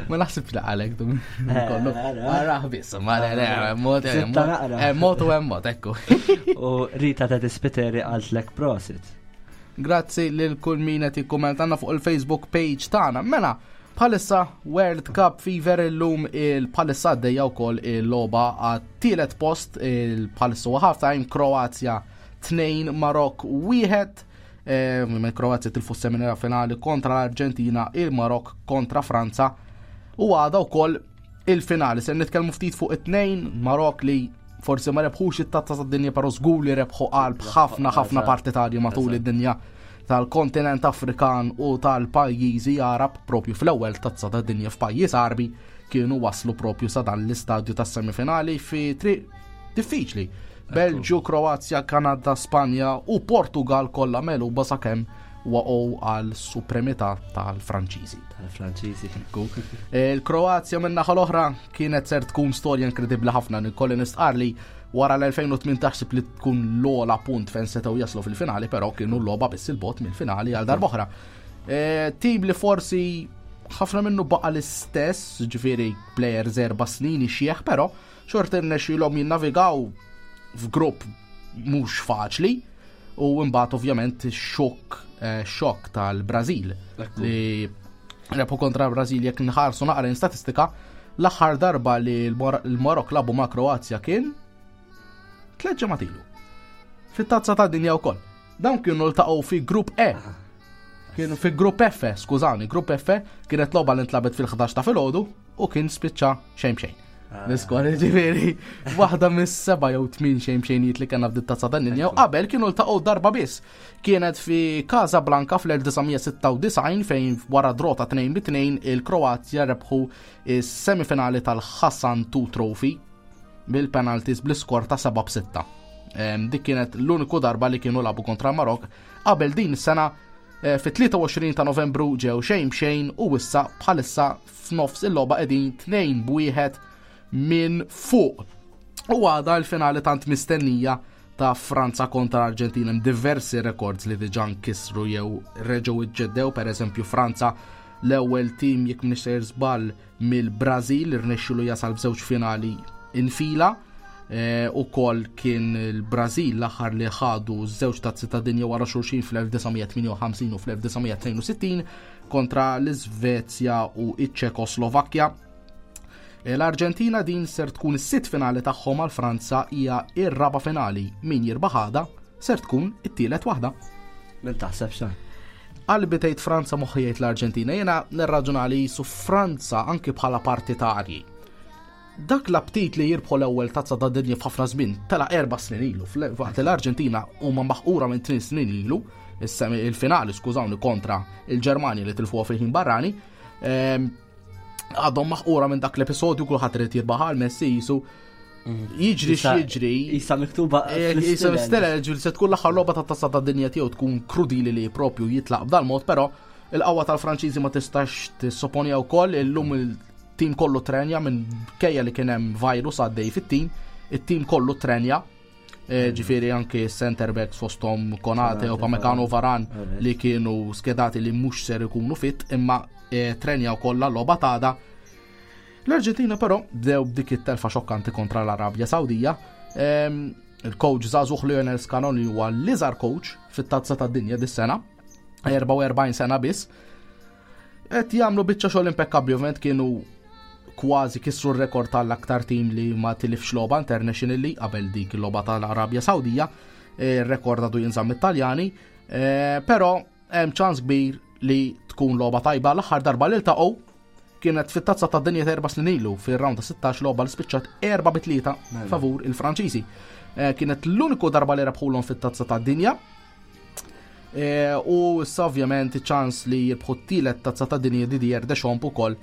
Ma naħsibx li għalek dum. Eh, Kollu. ara. Arah biss, ma le, le, mod, Sitta naqra. eh, mod u hemm mod, ekku. U Rita ta' Dispiteri qaltlek prosit. Grazzi lil kull min qed jikkummentanna fuq il-Facebook page tagħna. Mela, bħalissa World Cup Fever, illum il-bħalissa għaddejja wkoll il-logħba għat-tielet post, il-bħalissa huwa half-time, Kroazja tnejn, Marok wieħed. Eh, minn Kroazja tilfu s-semifinali finali kontra l-Arġentina, il-Marok kontra Franza. U għada wkoll il-finali. Se nitkellmu ftit fuq it-tnejn, Marok li forsi ma rebħux it-tazza tad-dinja, però żgur li rebħu qalb ħafna ħafna Eżatt. partitarji matul Eżatt. id-dinja tal-kontinent Afrikan u tal-pajjiżi Arab. Propju fl-ewwel tazza tad-dinja f'pajjiż Arbi kienu waslu propju sa dan l-istadju tas-semifinali fi triq diffiċli. Belġju, Kroazja, Kanada, Spanja u Portugal kollha megħluba sakemm waqgħu għal supremità tal-Franċiżi. Tal-Franċiżi. Il-Kroazja minn naħa l-oħra kienet ser tkun storja inkredibbli ħafna. Nikolli nistqar li wara l-elfejn u tmintax sib li tkun l-ogħla punt fejn setgħu jaslu fil-finali, però kienu l-logħba biss il-bogħod mill-finali għal darb'oħra. E, Tim li forsi ħafna minnu baqa l-istess, ġifieri players erba' snin ixjeħ, però xorta rnexxielhom jinnavigaw f'grupp mhux faċli u mbagħad ovvjament xokk eh, xokk tal-Brażil li rebħu kontra Brażil. Jekk nħarsu naqra statistika, l-aħħar darba li l-Mor- l-Marok lagħbu ma' Kroazja kien tliet ġimgħat ilu. Fit-tazza ta' dinja wkoll. Dawn kienu ltaqgħu fi grupp E. Kienu fi grupp F, skużani, grupp F, kienet logħba li ntlagħbet fil-ħdax ta' filgħodu u kien spiċċa xejn xejn. L-iskor, ġifieri, waħda mis-seba' jew tmien xejn xejnijiet li kellna f'dit tazza tad-dinja, u qabel kienu ltaqgħu darba biss. Kienet fi Casablanca fl-elf disa' mija sitta u disgħin fejn wara draw ta' tnejn bi tnejn il-Kroazja rebħu is-semifinali tal-Hassan two Trophy bil-penalties bl-iskor ta' seba' b'sitta. Em, Dik kienet l-uniku darba li kienu lagħbu kontra Marok. Qabel din is-sena eh, fit-tlieta u għoxrin ta' Novembru ġew xejn xejn u issa bħalissa f'nofs il-logħba qegħdin tnejn b'wieħed minn fuq. U għada l-finali tant mistennija ta' Franza kontra Argentina. Hemm diversi records li diġà nkisru jew reġgħu iġġeddew, per eżempju Franza l-ewwel tim, jekk m'iniex sejjer żball, mill-Brażil irnexxielu jasal f'żewġ finali infila. E, u kol kien il-Brażil l-aħħar li ħadu żewġ tazzi ta' dinja wara xulxin fl-elf disa' mija tmienja u ħamsin u fl-elf disa' mija tnejn u sittin kontra l-Iżvezja u iċ-Ċekoslovakkja. E, L-Arġentina din ser tkun is-sitt finali tagħhom, għal Franza hija ir-raba' finali. Min jirbaħ għada ser tkun it-tielet waħda. Min taħseb xa? Qalbi tgħid Franza, moħħi jgħid l-Arġentina. Jiena nirraġuna li su Franza anki bħala partitarji. Dak l-aptit li jirbħu l-ewwel tazza ta' dinja f'ħafna żmien tela erba' snin ilu, fl- waqt l-Arġentina huma maħqura minn tnejn snin ilu, is-semi il-finali, skużawni, kontra il-Ġermanja li tilfuha fil-ħin barrani. Ehm, Għadhom maħqura minn dak l-episodju, kulħadd irid jirbaħ għal Messi jisu jiġri Issa- x'jiġri. Issa miktuba. Issa mistela ġil se tkun l-aħħar logħba ta' tazza ta' dinja tiegħu, tkun krudili li propju jitlaq b'dal mod, però il-qawwa tal-Franċiżi ma tistax tissopponija wkoll. Illum il-tim kollu trenja minn kejja li kien hemm virus għaddej fit-tim, it-tim kollu trenja. Eh, Ġifieri anke center backs fosthom Konate, Konate, Upamecano, Varane Alright. li kienu skedati li mhux ser ikunu fit, imma eh, trenja wkoll l-logħba t'għada. L-Arġentina però bdew b'dik it-telfa xokkanti kontra l-Arabja Sawdija. Ehm, Il-coach żagħżugħ Lionel Scaloni huwa l-iżgħar coach fit-tazza tad-dinja dis-sena, erbgħa u erbgħin sena biss. Qed jagħmlu biċċa xogħol impekkabbli, ovvjament kienu kważi kisru r-rekord tal-aktar tim li ma tilifx logħba internationally qabel dik il-logħba tal-Arabja Sawdija, ir-rekord għadu jinżamm it-Taljani, eh, però hemm ċans kbir li tkun logħba tajba. L-aħħar darba li ltaqgħu kienet fit-tazza ta' dinja ta' erba' snin ilu fir-round ta' sittax, logħba li spiċċat erba' bi tlieta favur il-Franċiżi. Eh, Kienet l-uniku darba li rebħulhom fit-tazza ta' dinja. Eh, U issa ovvjament ċans li jirbħu t-tielet tazza ta' dinja Didier Deschamps ukoll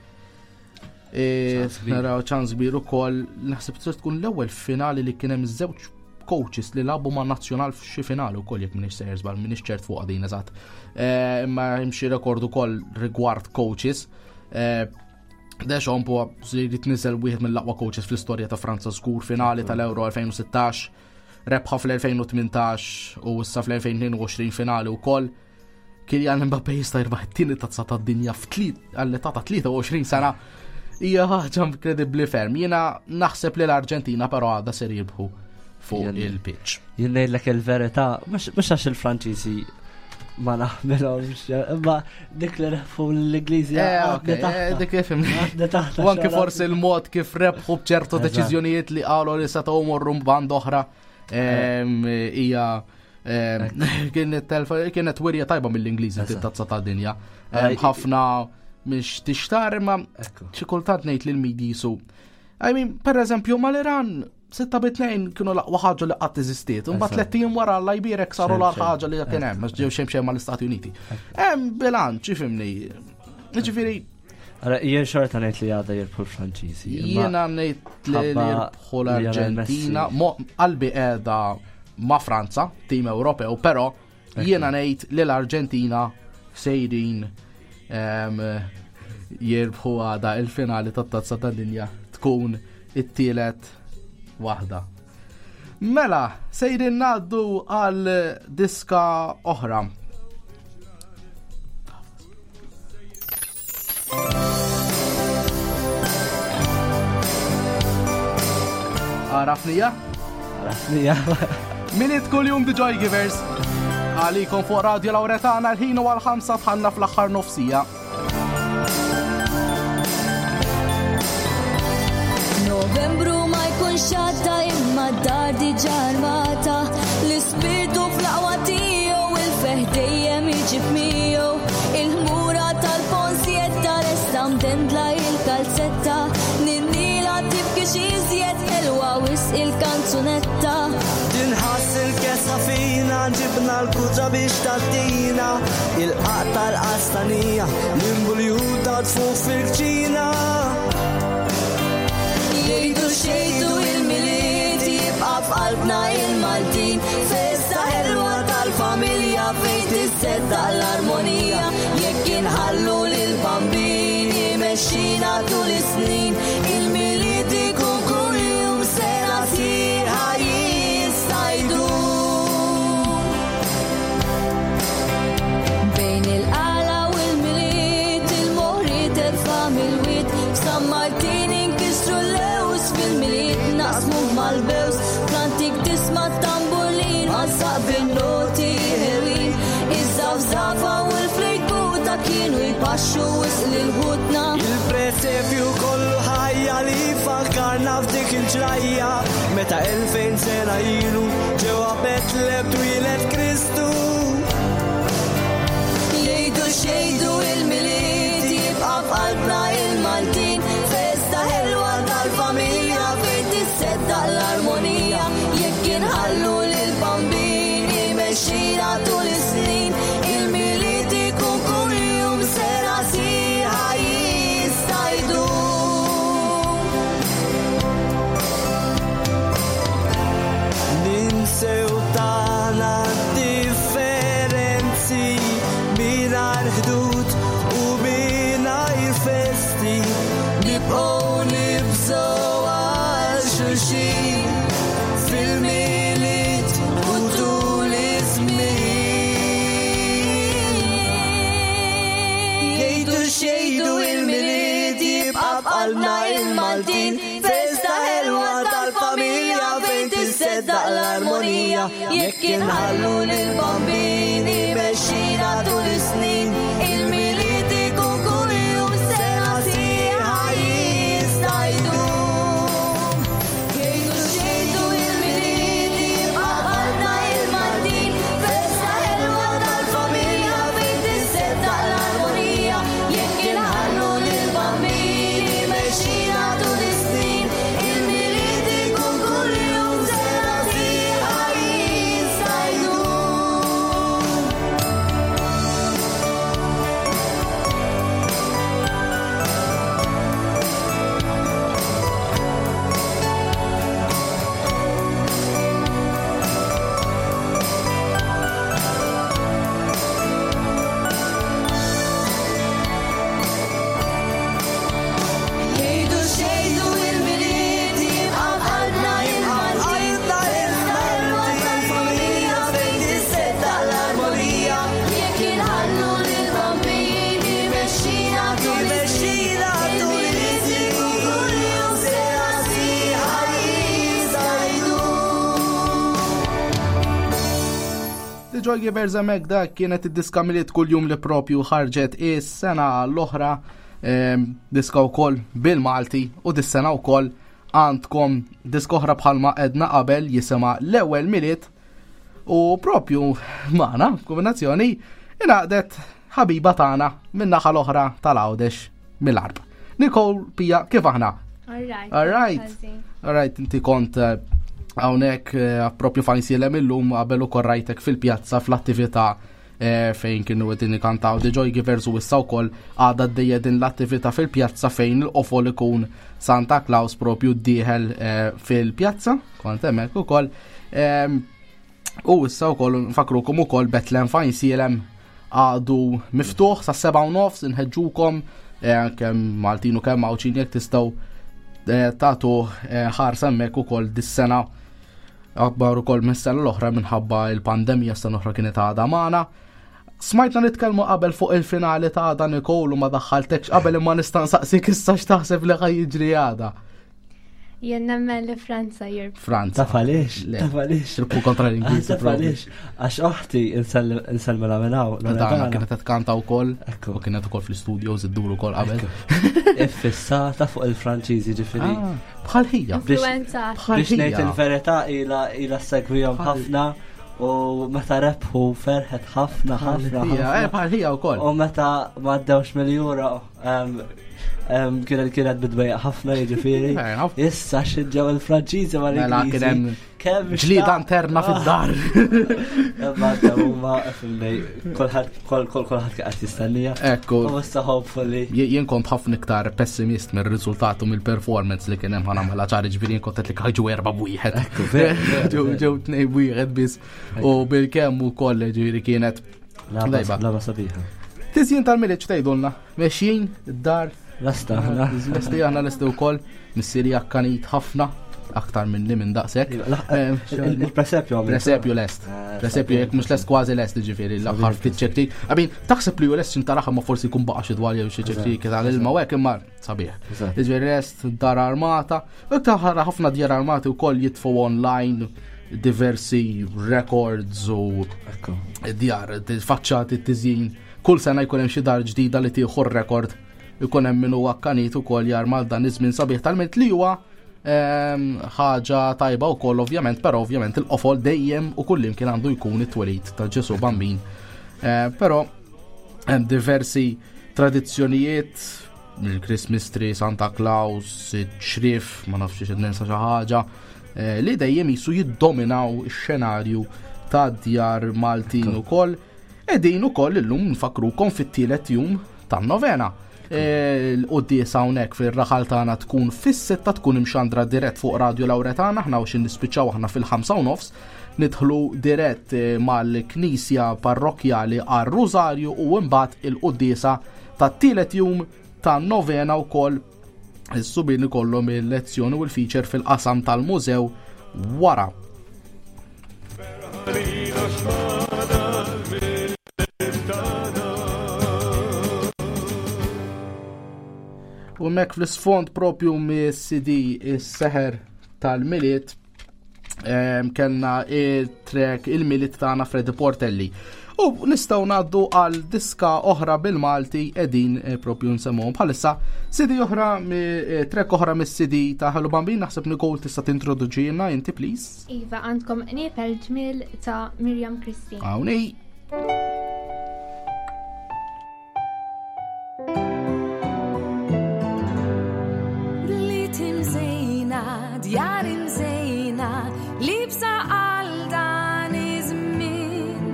E, Ċans kbir. Naraw ċans kbir ukoll, naħseb tista' tkun l-ewwel finali li kien hemm żewġ coaches li lagħbu ma' nazzjonal f'xi finali wkoll jekk m'iniex sejjer żball, m'iniex ċert fuq din eżatt. E, Imma hemm xi rekord ukoll rigward coaches. E, Deschamps huwa li jitniżel wieħed mill-aqwa coaches fl-istorja ta' Franza żgur finali tal-Euro elfejn u sittax, rebħa fl-elfejn u tmintax u issa fl-elfejn u tnejn u għoxrin finali wkoll. Kylian Mbappé jista' jirbaħ it-tieni tazza tad-dinja f'tliet għall-età ta' tlieta u għoxrin sena. Hija ħaġa inkredibbli ferm. Jiena naħseb li l-Arġentina però għadha ser jirbħu fuq Jien- il-pitch. Jien ngħidlek il-verità, mhux mhux għax il-Franċiżi ma naħmilhomx, imma dik li rebħu l-Ingliżi Eh, għadni ok, eh, taħta. dik ifhimni. Għadni taħta U anke xara. forsi il-mod kif rebħu bċertu Eżatt. deċiżjonijiet li qalu li setgħu morru band oħra em, hija em, kienet telfa- kienet wirja tajba mill-Ingliżi Eżatt. fit-tazza tad-dinja. Eh, Em, Ħafna mhix tixtar imma Ekku. xi kultant ngħid lil midi jisu. I mean, per eżempju, mal-Iran sitta bi tnejn kienu l-aqwa ħaġa li qatt eżistiet. Imbagħad Eżatt. tliet ijiem wara Alla jbierek saru Xejn, l xejn. ħaġa li kien hemm, għax ġew xejn xejn mal-Istati Uniti. Hemm bilanċ, ifhimni. Ġifieri, Ara, jien xorta ngħid li għada jirbħu l-Franċiżi. imma jiena ngħid li li ħabba jirbħu Lionel l-Arġentina, Messi. Mo- qalbi qiegħda ma' Franza, tim Ewropew, però jiena ngħid li l-Arġentina sejrin em, jirbħu għada il-finali tat-tazza tad-dinja tkun it-tielet waħda. Mela, sejrin ngħaddu għal diska oħra. Għarafnija? Għarafnija. Milied kuljum The Joy Givers. Għalikom fuq Radio Lauretana l-ħin u għal-ħamsa tħanna fl-aħħar nofsija. Novembru ma jkunx għadda imma d-dar diġà armata. L-ispirtu fl-aqwa tiegħu il-ferħ dejjem iġib miegħu. Il-ħmura tal-ponsjetta resta mdendla il-kalzetta. Ninnila tibki iżjed ħelwa wisq il-kanzunetta. Tinħass il-kesa fina, ġibna l-kutra biex tattina. Il-qaq tal-qastanija, l-imbuljuta tfuq fil-kċina. Jgħidu xejdu il-Milied jibqa' f'qalbna il-Maltin. Festa ħelwa tal-familja fejn tisseddaq l-armonija. Jekk inħallu lil-Bambin imexxina tul is-snin. Il-Milied ikun kuljum sena sħiħa jista' jdum. Bejn il-qala u l-Milied, il-moħri terfa' mill-wied. F'San Martin inkisru l-lews, fil-Milied naqsmu mal-bews. Fl-antik tisma' tamburlin, għazzaq bin-noti ħelwin. Iż-żafżafa u l-flejkuta kienu jpaxxu wisq lil ħutna. Il-presepju kollu ħajja li fakkarna f'dik il-ġrajja meta elfejn sena ilu ġewwa Betlem twieled Kristu. Jgħidu xejdu il-Milied jibqa' f'qalbna il-Maltin. Festa ħelwa tal-familja fejn tisseddaq l-armonija. Jekk inħallu lil-Bambin imexxina tul is-snin. Il-Milied ikun kuljum sena sħiħa jista' jdum. Ninsew tagħna differenzi mingħajr ħdud u mingħajr festi. Nibqgħu nibżgħu għal xulxin fil-Milied u tul iż-żmien. Jgħidu xejdu il-Milied jibqa' f'qalbna il-Maltin. Festa ħelwa tal-familja fejn tisseddaq l-armonija. Jekk inħallu lil-Bambin imexxina tul is-snin. Il-Milied ikun kuljum sena sħiħa jista' jdum. Jgħidu xejdu il-Milied jibqa' f'qalbna il-Maltin. Festa ħelwa tal-familja fejn tisseddaq l-armonija. Jekk inħallu lil-Bambin imexxina tul is-snin. Il-Milied ikun kuljum sena sħiħa jista' jdum. Joy Givers hemmhekk dak kienet id-diska Milied kuljum li propju ħarġet is-sena l-oħra, ehm, diska wkoll bil-Malti u dis-sena wkoll għandkom diska oħra bħalma edna qabel jisimha l-ewwel Milied u propju magħna kombinazzjoni ingħaqdet ħabiba tagħna min-naħa l-oħra tal-Għawdex mill-Għarb. Nicole Pia, kif aħna? All right. All right. All right, inti kont eh, hawnhekk eh, propju f'Għajnsielem illum qabel ukoll rajtek fil-pjazza fl-attività eh, fejn kienu qegħdin ikantaw The Joy Givers u issa wkoll għadha għaddejja din l-attività fil-pjazza fejn il-qofol ikun Santa Claus propju dieħel eh, fil-pjazza, kont hemmhekk ukoll. Em, U issa wkoll nfakrukom ukoll Betlem f'Għajnsielem għadu miftuħ sa seba' u nofs inħeġġukom eh, kemm Maltin u kemm Għawdxin jekk tistgħu eh, tagħtu eh, ħarsa hemmhekk ukoll dis-sena akbar ukoll mis-sena l-oħra minħabba il-pandemija sena oħra kienet għadha magħna. Smajtna nitkellmu qabel fuq il-finali ta' għada Nicole u ma daħħaltekx qabel imma nista' nsaqsik issa x'taħseb li ħa jiġri għada. Jien nemmen li Franza jirbħu. Franza. Taf għaliex? Le. Taf għaliex? Jirbħu kontra l-Ingliżi. Taf għaliex? Għax oħti insellmilha minn hawn. Dana Loredana. kienet qed tkanta wkoll Ekku. u kienet ukoll fl-studios iddur ukoll qabel. Iffissata fuq il-Franċiżi ġifieri. Ah, Bħal ħija. Influenza. Bħal Biex ngħid ħija. il-verità ila ila segwihom Bħal- ħafna u meta rebħu ferħet ħafna ħafna. Ħija, eh, ħafna. bħal ħija wkoll. U meta ma għaddewx mill-Euro em, em, kienet kienet bidwejja ħafna jiġifieri. Fair enough. Issa xinġew il-Franċiżi ma Mela kien hemm Kemm ġlieda interna fid-dar. Imma għaddew huma fimni kulħadd kol kol kulħadd qed jistennija. Ekku. U issa hopefully. Je- Jien kont ħafna iktar pessimist mir-riżultat u mill-performance li kien hemm ħa nagħmilha ċari ġifieri jien kont qed li ħarġu erba' b'wieħed. Ekku, veru, veru, Ġew veru. ġew tnejn b'wieħed biss u bil-kemm ukoll ġifieri kienet Laba Lejba. laba sabiħa. Tiżjin tal-Milied x'tgħidulna? Mexjin id-dar Lasta aħna. Lesti aħna lesti wkoll missieri akkanit ħafna aktar minni minn daqshekk. Eh, Il-presepju għamil. Presepju lest. Eh, Presepju jekk mhux lest kważi lest ġifieri l-aħħar ftit ċektik. Għabin, taħseb li hu lest xintaraħ ma forsi jkun baqa' xi dwar jew xi ċektik tal-ilma u hekk imma sabiħ. Eżatt. Ġifieri lest dar armata. U taħra ħafna djar armati wkoll jitfu online diversi records u Ekku. djar, faċċati t-tiżjin. Kull sena jkun hemm xi dar ġdida li tieħu rekord ikun hemm min huwa akkanit ukoll jarmal dan iż-żmien sabiħ tal-Milied li huwa ehm, ħaġa tajba wkoll ovvjament, però ovvjament il-qofol dejjem u kullimkien għandu jkun it-twelid ta' Ġesu Bambin. Eh, Però hemm diversi tradizzjonijiet il-Christmas tree, Santa Claus, ċrif, ma nafx xi ninsa xi ħaġa, eh, li dejjem jisu jiddominaw ix-xenarju ta' djar Maltin ukoll. Qegħdin ukoll illum nfakrukom fit-tielet jum tan-novena. Eh, L-quddiesa hawnhekk fir-raħal tagħna tkun fis-sitta tkun imxandra dirett fuq Radio Lauretana, aħna u xin nispiċċaw aħna fil-ħamsa u nofs, nidħlu dirett eh, mal-Knisja Parrokkjali għar-Rużarju u mbagħad il-quddiesa tat-tielet jum tan-novena wkoll is-subien ikollhom il-lezzjoni u l-feature fil-qasam tal-mużew wara. U mek fl-isfond propju mis-C D is-seħer tal-Milied em, kellna il-track il-Milied tagħna Freddy Portelli. U nistgħu ngħaddu għal diska oħra bil-Malti qegħdin eh, propju nsemmuhom bħalissa C D oħra mi- eh, track oħra mis-C D ta' Hello Bambin naħseb Nicole tista' tintroduċina inti please. Iva, għandkom Qniepel Ġmiel ta' Miriam Christine. Hawnhi. Bliet imżejna, djar imżejna, libsa għal dan iż-żmien,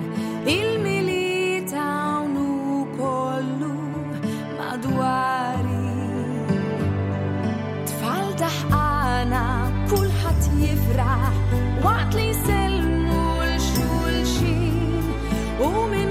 il-Milied hawn kollu madwari. Tfal daħqana, kulħadd jifraħ, waqt li jsellmu l xulxin u minn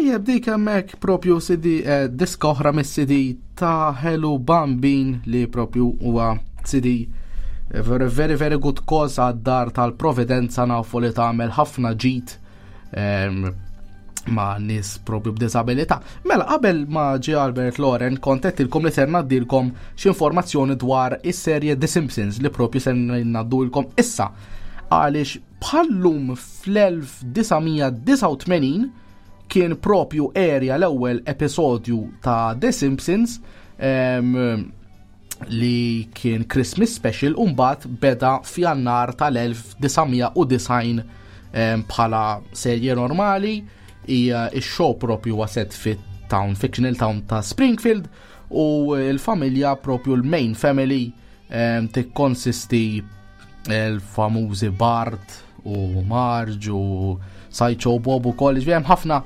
Tajjeb, dik hemmhekk propju C D, eh, diska oħra mis-C D ta' Hello Bambin, li propju huwa C D eh, very very very good cause għad-dar tal-Providenza. Nafu li tagħmel ħafna ġid em, ma' nies propju b'disabilità. Mela, qabel ma ġie Albert Loren, kont għedtilkom li ser ngħaddilkom xi informazzjoni dwar is-serje The Simpsons, li propju ser ngħaddulkom issa. Għaliex bħallum fl-elf disa' mija disgħa u tmenin kien propju erja l-ewwel episodju ta' The Simpsons em, li kien Christmas Special, u mbagħad beda f'Jannar tal-elf disa' mija u disgħin em, bħala serje normali. Hija ix-show propju huwa set fit-town, fictional town ta' Springfield, u l-familja propju, l-main family, em, tikkonsisti l-famużi Bart u Marge u Sideshow Bob u kollox. Hemm ħafna,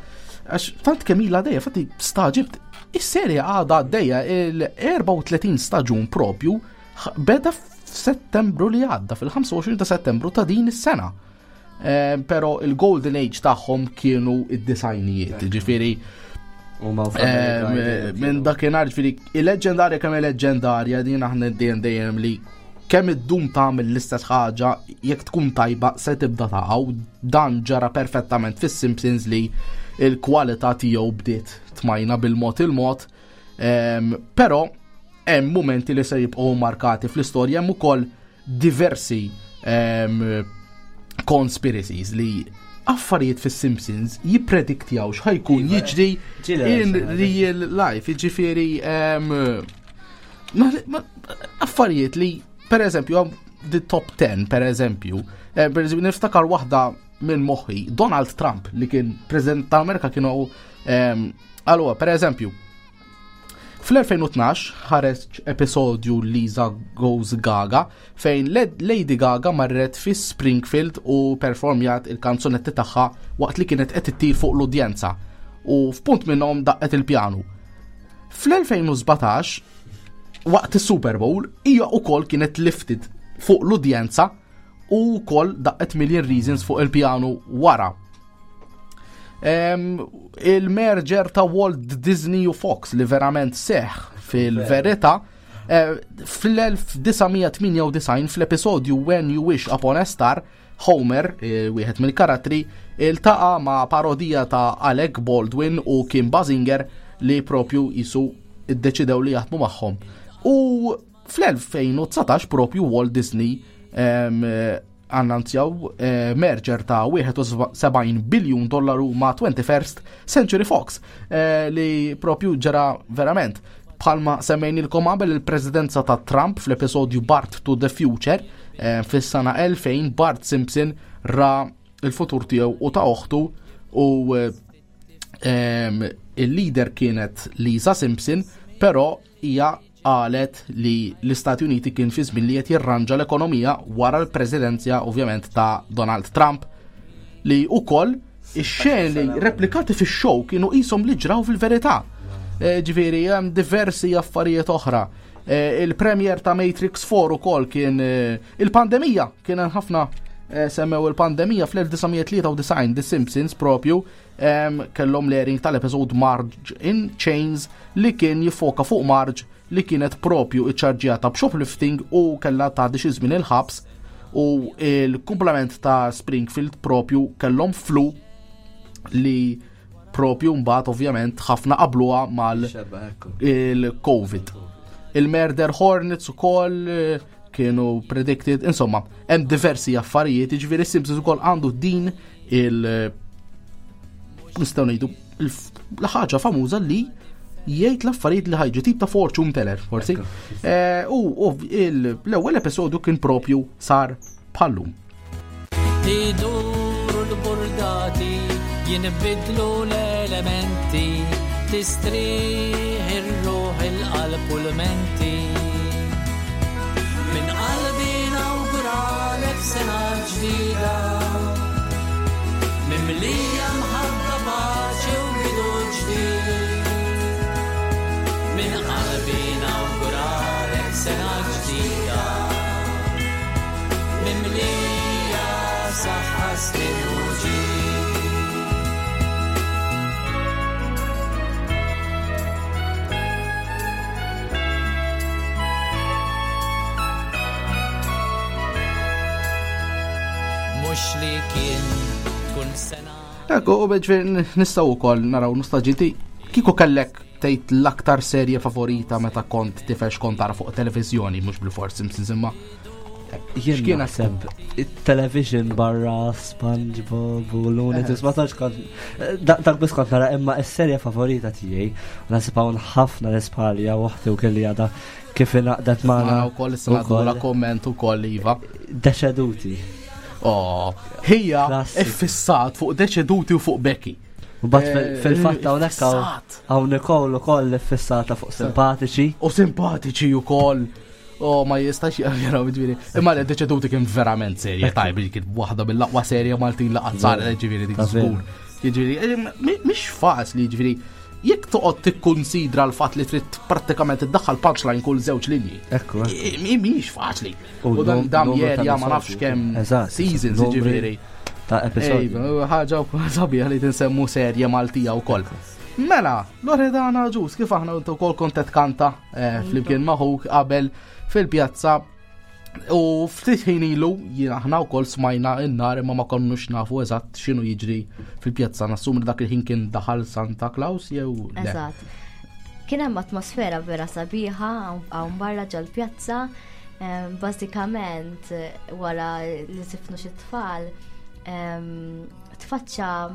għax tant kemm ilha għaddejja, fatti staġibt, is-serja għadha għaddejja, il-erbgħa u tletin staġun propju beda f'Settembru li għadda, fil-ħamsa u għoxrin ta' Settembru ta' din is-sena. Eh, pero il-Golden Age tagħhom kienu id-disgħinijiet, ġifieri U ma' eh, minn dakinhar, ġifieri il-leġendarja, kemm il-leġendarja din, aħna dejjem dejjem li kemm iddum tagħmel l-istess ħaġa, jekk tkun tajba se tibda taqgħu. Dan ġara perfettament fis-Simpsons, li il-kwalità tiegħu bdiet tmajna bil-mod il-mod. Em, però hemm momenti li se jibqgħu markati fl-istorja. Hemm ukoll diversi em, conspiracies li affarijiet fis-Simpsons jipprediktjaw x'ħa jkun Iva, jiġri ġieli in xi real life, jiġifieri em, ma- ma- affarijiet li per eżempju the top ten, per eżempju, eh, per eżempju niftakar waħda minn moħħi, Donald Trump li kien President tal-Amerika kienu em, allura, per eżempju, fl-elfejn u tnax ħareġ episodju Lisa Goes Gaga, fejn Led- Lady Gaga marret fi Springfield u performjat il-kanzunetti tagħha waqt li kienet qed ittir fuq l-udjenza u f'punt minnhom daqqet il-pjanu. Fl-elfejn u sbatax, waqt is-Super Bowl, hija wkoll kienet lifted fuq l-udjenza u wkoll daqqet Million Reasons fuq il-pjanu wara. Em, il-merger ta' Walt Disney u Fox, li verament seħ fil-verità, eh, fl-elf disa' mija tmienja u disgħin, fl-episodju When You Wish Upon a Star, Homer, eh, wieħed mill-karattri, iltaqa' ma' parodija ta' Alec Baldwin u Kim Basinger, li propju jisu iddeċidew li jaħdmu magħhom. U fl-elfejn u dsatax propju Walt Disney em, eh, annunzjaw eh, merger ta' wieħed u sebgħin biljun dollaru ma' twenty-first Century Fox, eh, li propju ġara verament. Bħalma semmejnilkom qabel, il-presidenza ta' Trump, fl-episodju Bart to the Future eh, fis-sena elfejn, Bart Simpson ra il-futur tiegħu u ta' oħtu, u eh, em, il-leader kienet Lisa Simpson, però hija qalet li l-Istati Uniti kien fi żmien li qed jirranġa l-ekonomija wara l-presidenza ovvjament ta' Donald Trump, li ukoll ix-xeni replikati fix-show kienu qishom li ġraw fil-verità. Eh, Ġifieri hemm diversi affarijiet oħra. Eh, Il-premier ta' Matrix four ukoll kien eh, il-pandemija, kien hemm ħafna eh, semmew il-pandemija fl-elf disa' mija tlieta u disgħin. The Simpsons propju em, kellhom l-airing tal-episode Marge in Chains, li kien jiffoka fuq Marge li kienet propju iċċarġjata b'shoplifting u kellha tgħaddi xi żmien il-ħabs, u il-kumplament ta' Springfield propju kellhom flu, li propju mbagħad ovvjament ħafna qabluha mal Xebba, ekku. il-Covid. Il-Murder Hornets ukoll eh, kienu predicted, insomma, hemm diversi affarijiet, jiġifieri Simpsons ukoll għandu din il- nistgħu ngħidu l-ħaġa famuża li jgħid l-affarijiet li ħa jiġu, tip ta' fortune teller, forsi. Eh, U u il- l-ewwel episodju kien propju sar bħallum. Iduru l-burdati, jinbidlu l-elementi, tistrieħ ir-ruħ, il-qalb u l-menti. Min qalbi nawguralek sena ġdida, mimlija mħabba, paċi u bidu ġdid. Min qalbi nawguralek sena ġdida, mimlija saħħa, sliem u ġid. Kull sena. Ekku, u ġifieri nistgħu wkoll naraw nostalġiti. Kieku kellek tgħid l-aktar serje favorita meta kont tifel x'kont tara fuq televiżjoni, mhux bil-fors Simpsons imma. Jien X'kienet naħseb il-television barra SpongeBob u Looney Tunes ma tantx kont dak dak biss kont nara imma s-serje favorita tiegħi u naħseb hawn ħafna l-Ispalja u oħti u kelli għadha kif ingħaqdet magħna Magħna wkoll issa ukoll. nagħmlu komment ukoll iva. Deċeduti. Oh, hija Klassik. iffissat fuq Deċeduti u fuq Becky. U bat fil- Eh, fil-fatt hawnhekk hawn iffissat. hawn Nicole ukoll iffissata fuq simpatiċi. U simpatiċi wkoll. Oh, ma jistax jaraw ġifieri. Imma li Deċeduti kien verament serje tajb, kien waħda mill-aqwa serje Maltin li qatt saret ġifieri dik Ta' veru. żgur. Jiġifieri, eh, mi- mhix faċli jiġifieri jekk toqgħod tikkunsidra l-fatt li trid prattikament iddaħħal punchline kull żewġ linji. Ekku. I- i- Mhix faċli. U U dan num- dam numru ta' jerja ma nafx episodji. kemm Eżatt, seasons numri jiġifieri. Ta' episodji. Ejba, ħaġa wkoll sabiħa li tinsemmu serje Maltija wkoll. Mela, Loredana Ġus, kif aħna intu wkoll kont qed kanta eh, flimkien maħuk qabel fil-pjazza u ftit ħin ilu jien aħna wkoll smajna n-nar imma ma konnux nafu eżatt x'inhu jiġri fil-pjazza. Nassum li dak il-ħin kien daħal Santa Claus jew le. Eżatt. Kien hemm atmosfera vera sabiħa hawn- hawn barra ġol-pjazza. Em, Bażikament eh, wara li sifnu xi tfal em, tfaċċa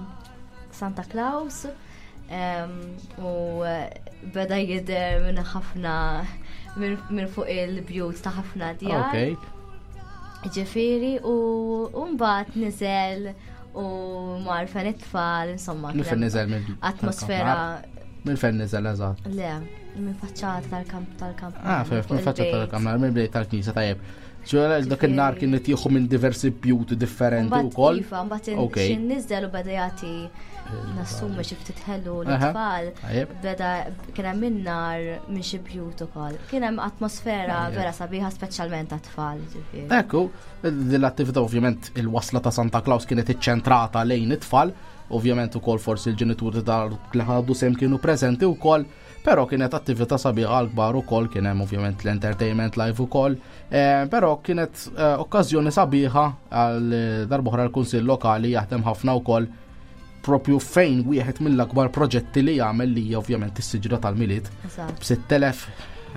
Santa Claus em, u eh, beda jidher minn ħafna minn minn fuq il-bjut ta' ħafna djar. Ok. Ġifieri u u mbagħad niżel u mar fejn it-tfal, insomma. Minn kien fejn hemm niżel minn Atmosfera Minn fejn niżel eżatt. Le, minn faċċata tal-kamp tal-kamp. Ah, fef, minn faċċata tal-kamra, minn bdejt tal-knisja tajjeb. Ġwera dak in-nar kien qed jieħu minn diversi bjut differenti wkoll. Iva, mbagħad Ok. xin niżel u beda jagħti nassumi xi ftit ħelu Aha, l-tfal. tajjeb. Beda kien hemm in-nar minn xi bjut ukoll. Kien hemm atmosfera Tajjeb. vera sabiħa speċjalment għat-tfal, ġifieri. Ekku, l-attività ovvjament il-wasla ta' Santa Claus kienet iċċentrata lejn it-tfal, ovvjament ukoll forsi l-ġenituri ta' li ħadu sem kienu preżenti wkoll, però kienet attività sabiħa għal-kbar ukoll, kien hemm ovvjament l-entertainment live ukoll, eh, però kienet eh, okkażjoni sabiħa għal eh, darb'oħra l-Kunsill Lokali jaħdem ħafna wkoll propju fejn wieħed mill-akbar proġetti li jagħmel li hija ovvjament is-siġra tal-Milied Eżatt. b'sitt elef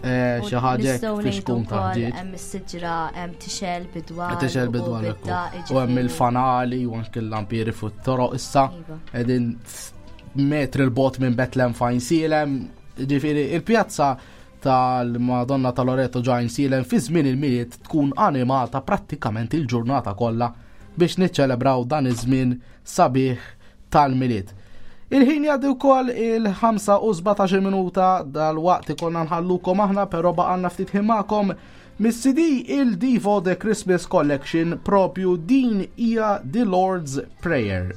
eh, U xi ħaġa nistgħu fiex ngħidu tkun wkoll taħġiġ. Hemm is-siġra hemm tixel bidwal. Tixel u bidwal bidda, U hemm jiġifieri. il-fanali u anke l-lampieri fuq it-toroq issa Iva. qegħdin metri l-bot minn Bethlehem fejn Silem. Ġifieri il-pjazza tal-Madonna ta' Loreto ġajn Silem fi żmien il-Milied tkun animata prattikament il-ġurnata kollha biex niċċelebraw dan iż-żmien sabiħ tal-Milied. Il-ħin jgħaddi wkoll il-ħamsa u sbatax-il minuta dal-waqt ikollna nħallukom aħna, però baqgħalna ftit ħin magħkom mis-C D il-Divo The Christmas Collection propju din hija The Lord's Prayer.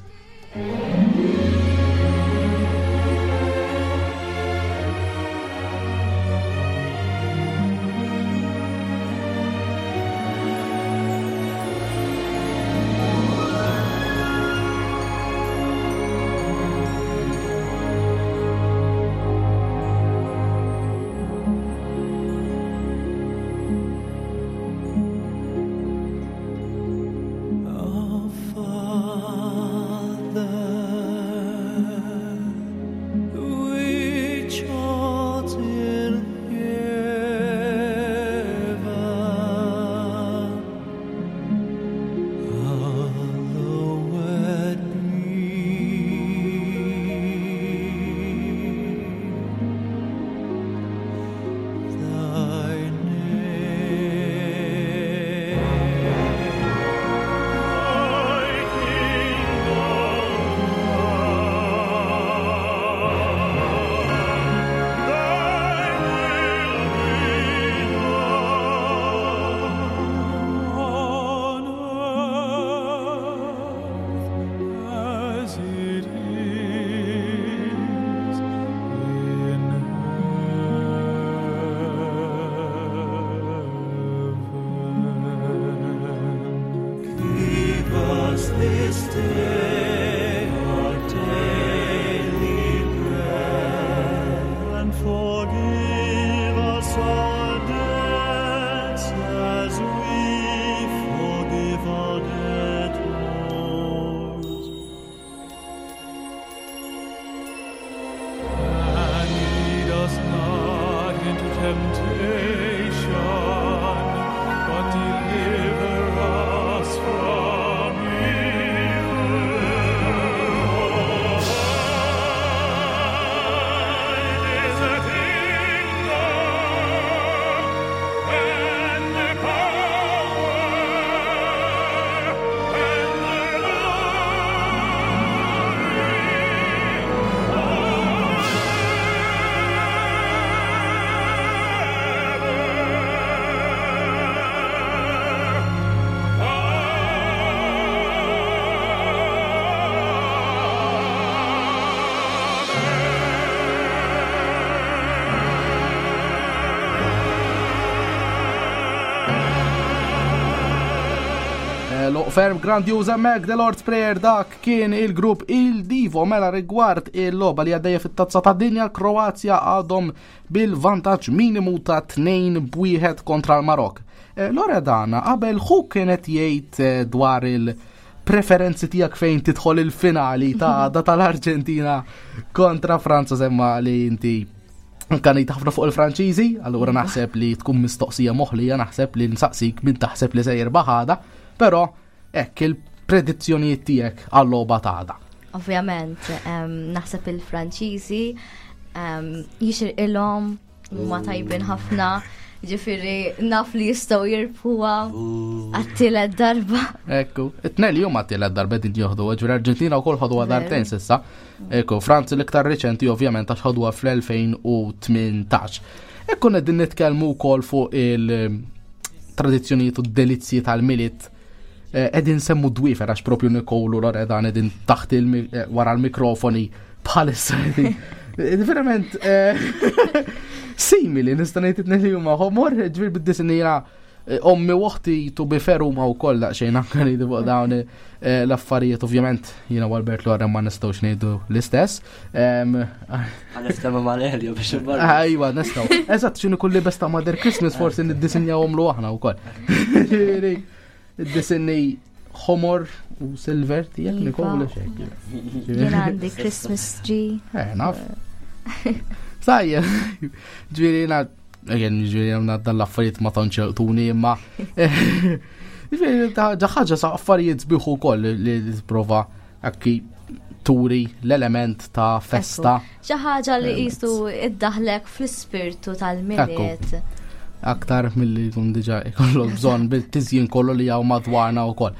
Our Father, which art in heaven, hallowed be thy name. As it is in heaven. Give us this day our daily bread, and forgive us our debts as we forgive our debtors. Ferm grandjuża Mac The Lord's Prayer, dak kien il-grupp Il Divo. Mela rigward il-logħba li għaddejja fit-Tazza tad-Dinja, Kroazja għadhom bil-vantaġġ minimu ta' tnejn b'wieħed kontra l-Marok. Eh, Loredana, qabel ħu kienet jgħid eh, dwar il-preferenzi tiegħek fejn tidħol il-finali ta' għada tal-Arġentina kontra Franza, semma li inti kanejt ħafna fuq il-Franċiżi, allura naħseb li tkun mistoqsija moħlija, naħseb li nsaqsik min taħseb li se jirbaħ għada, però hekk il-predizzjonijiet tiegħek għal-logħba ta' għada. Ovvjament, em, naħseb il-Franċiżi em, jixirqilhom, huma tajbin ħafna, ġifieri naf li jistgħu jirbħuha għat-tielet darba. Ekku, it-tnejn li huma t-tielet darba din joħdu, ġifieri Arġentina wkoll ħaduha Veru. darbtejn s'issa. Ekku, Franza l-iktar riċenti ovvjament għax ħaduha fl-elfejn u tmintax. Ekku qegħdin nitkellmu wkoll fuq il-tradizzjonijiet u d-delizzji tal-Milied. Eh, qegħdin semmu dwifer għax propju Nikolu Loredan qegħdin taħt il-mi-, eh, wara l-mikrofoni bħalissa qegħdin. Eh, verament, eh, simili nista' ngħid it-tnejn li huma ħomor, ġifieri bid-disinjera, eh, ommi u oħti to be fair huma wkoll daqsxejn anke ngħidu fuq dawn, eh, l-affarijiet, ovvjament jiena u Albert Lorem ma nistgħux ngħidu l-istess. Em, Għal-iftema mal-Elio biex imorru. Ejwa, nistgħu. Eżatt, x'inhu kulli besta Mother Christmas forsi niddisinjawhom lu aħna wkoll. Ġifieri, id-disinni ħomor u silver tiegħek Iva. Nikolu xejn. Jien għandi Christmas tree. Eh, naf. Sajja, ġifieri jiena, again, ġifieri jiena dan l-affarijiet ma tantx jolqtuni, imma, ġifieri, ta' ġa ħaġa sa' affarijiet sbieħ ukoll li tipprova akki turi l-element ta' festa. Ekku. Xi ħaġa li Element. qisu iddaħlek fl-ispirtu tal-Milied. Ekku. Aktar milli jkun diġà ikollok bżonn bil-tiżjin kollu li hawn madwarna wkoll.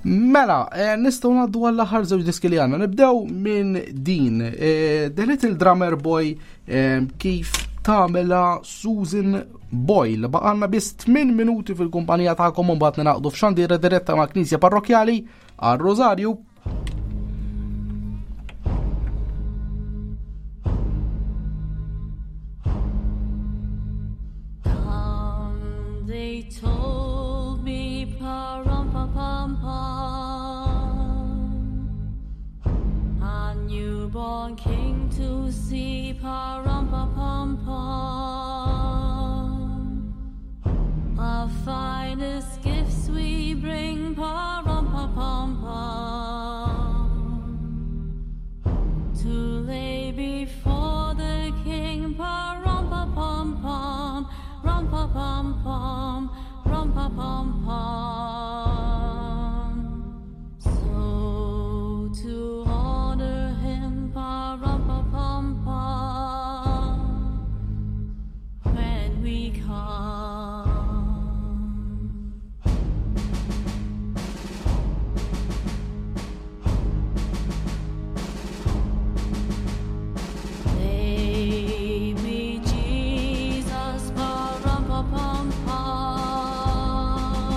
Mela, eh, nistgħu ngħaddu għall-aħħar żewġ diski li għandna. Nibdew minn din, eh, The Little Drummer Boy, eh, kif tagħmilha Susan Boyle. Baqgħalna biss tmien minuti fil-kumpanija tagħkom u mbagħad ninaqdu f'xandira diretta ma' Knisja Parrokjali għal Rosario. Come, they told me, pa-rum-pa-pam-pam, a newborn king to see, pa-rum-pa-pam-pam. Our finest gifts we bring, pa-rum-pa-pam-pam, to lay before the king, pa-rum-pa-pam-pam, rum-pa-pam-pam, rum-pa-pam-pam. So to honor him, pa-rum-pa-pam-pam, when we come. Baby Jesus, pa-rum-pa-pam-pam,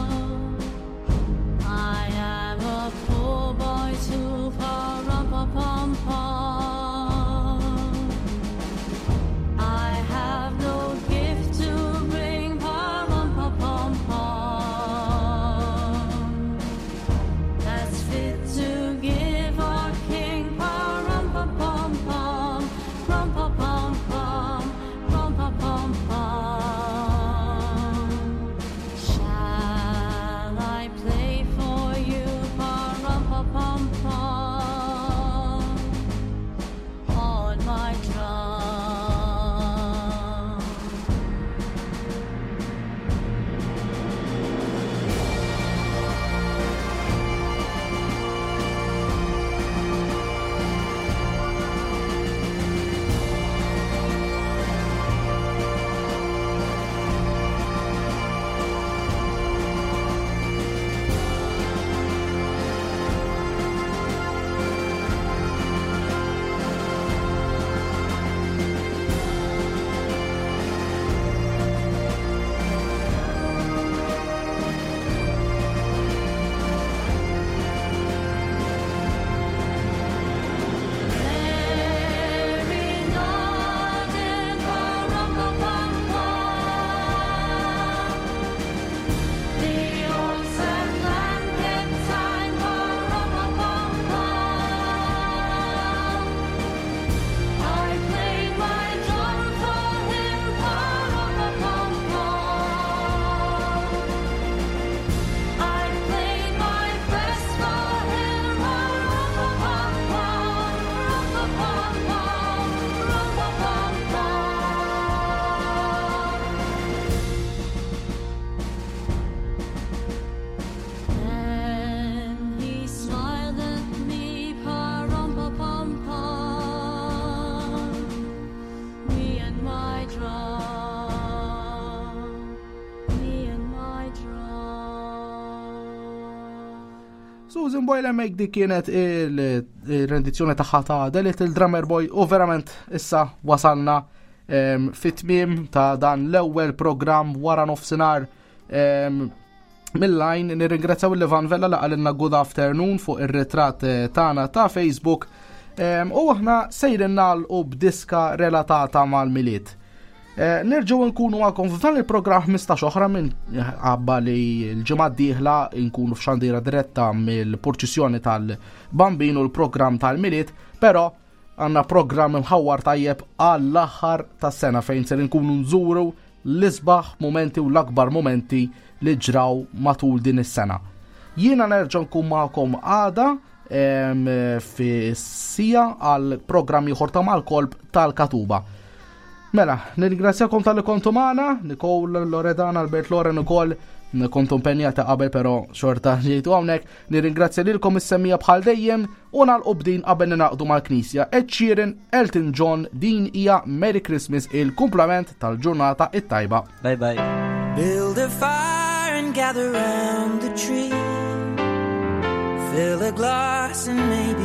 Susan Boyle hemmhekk, dik kienet il-rendizzjoni tagħha ta' The Little Drummer Boy, u verament issa wasalna em, fit-tmiem ta' dan l-ewwel programm wara nofsinhar em, mill-line. Nirringrazzjaw il-Ivan Vella li qalilna good afternoon fuq ir-ritratt eh, tagħna ta' Facebook Em, u aħna sejrin nagħlqu b'diska relatata mal-Milied. Eh, Nerġgħu nkunu magħkom f'dan il-programm ħmistax oħra, minn għabba li l-ġimgħa d-dieħla nkunu f'xandira diretta mill-purċissjoni tal-Bambin u l-programm tal-Milied, però għandna programm imħawwar tajjeb għall-aħħar tas-sena fejn ser nkunu nżuru l-isbaħ momenti u l-akbar momenti li ġraw matul din is-sena. Jiena nerġa' nkun magħkom għada em, fi sija għal programm ieħor ta' Mal-Kolp tal-Katuba. Mela, nirringrazzjakom talli kontu magħna, Nicole, Loredana, Albert, Loren ukoll, kontu impenjata qabel, però xorta ġejtu hawnhekk. Nirringrazzja lilkom is-semmiegħa bħal dejjem u nagħlqu b'din qabel ninaqdu mal-Knisja. Ed Sheeran, Elton John, din hija Merry Christmas, il-kumplament tal-ġurnata it-tajba. Bye bye. Build a fire and gather round the tree. Fill a glass and make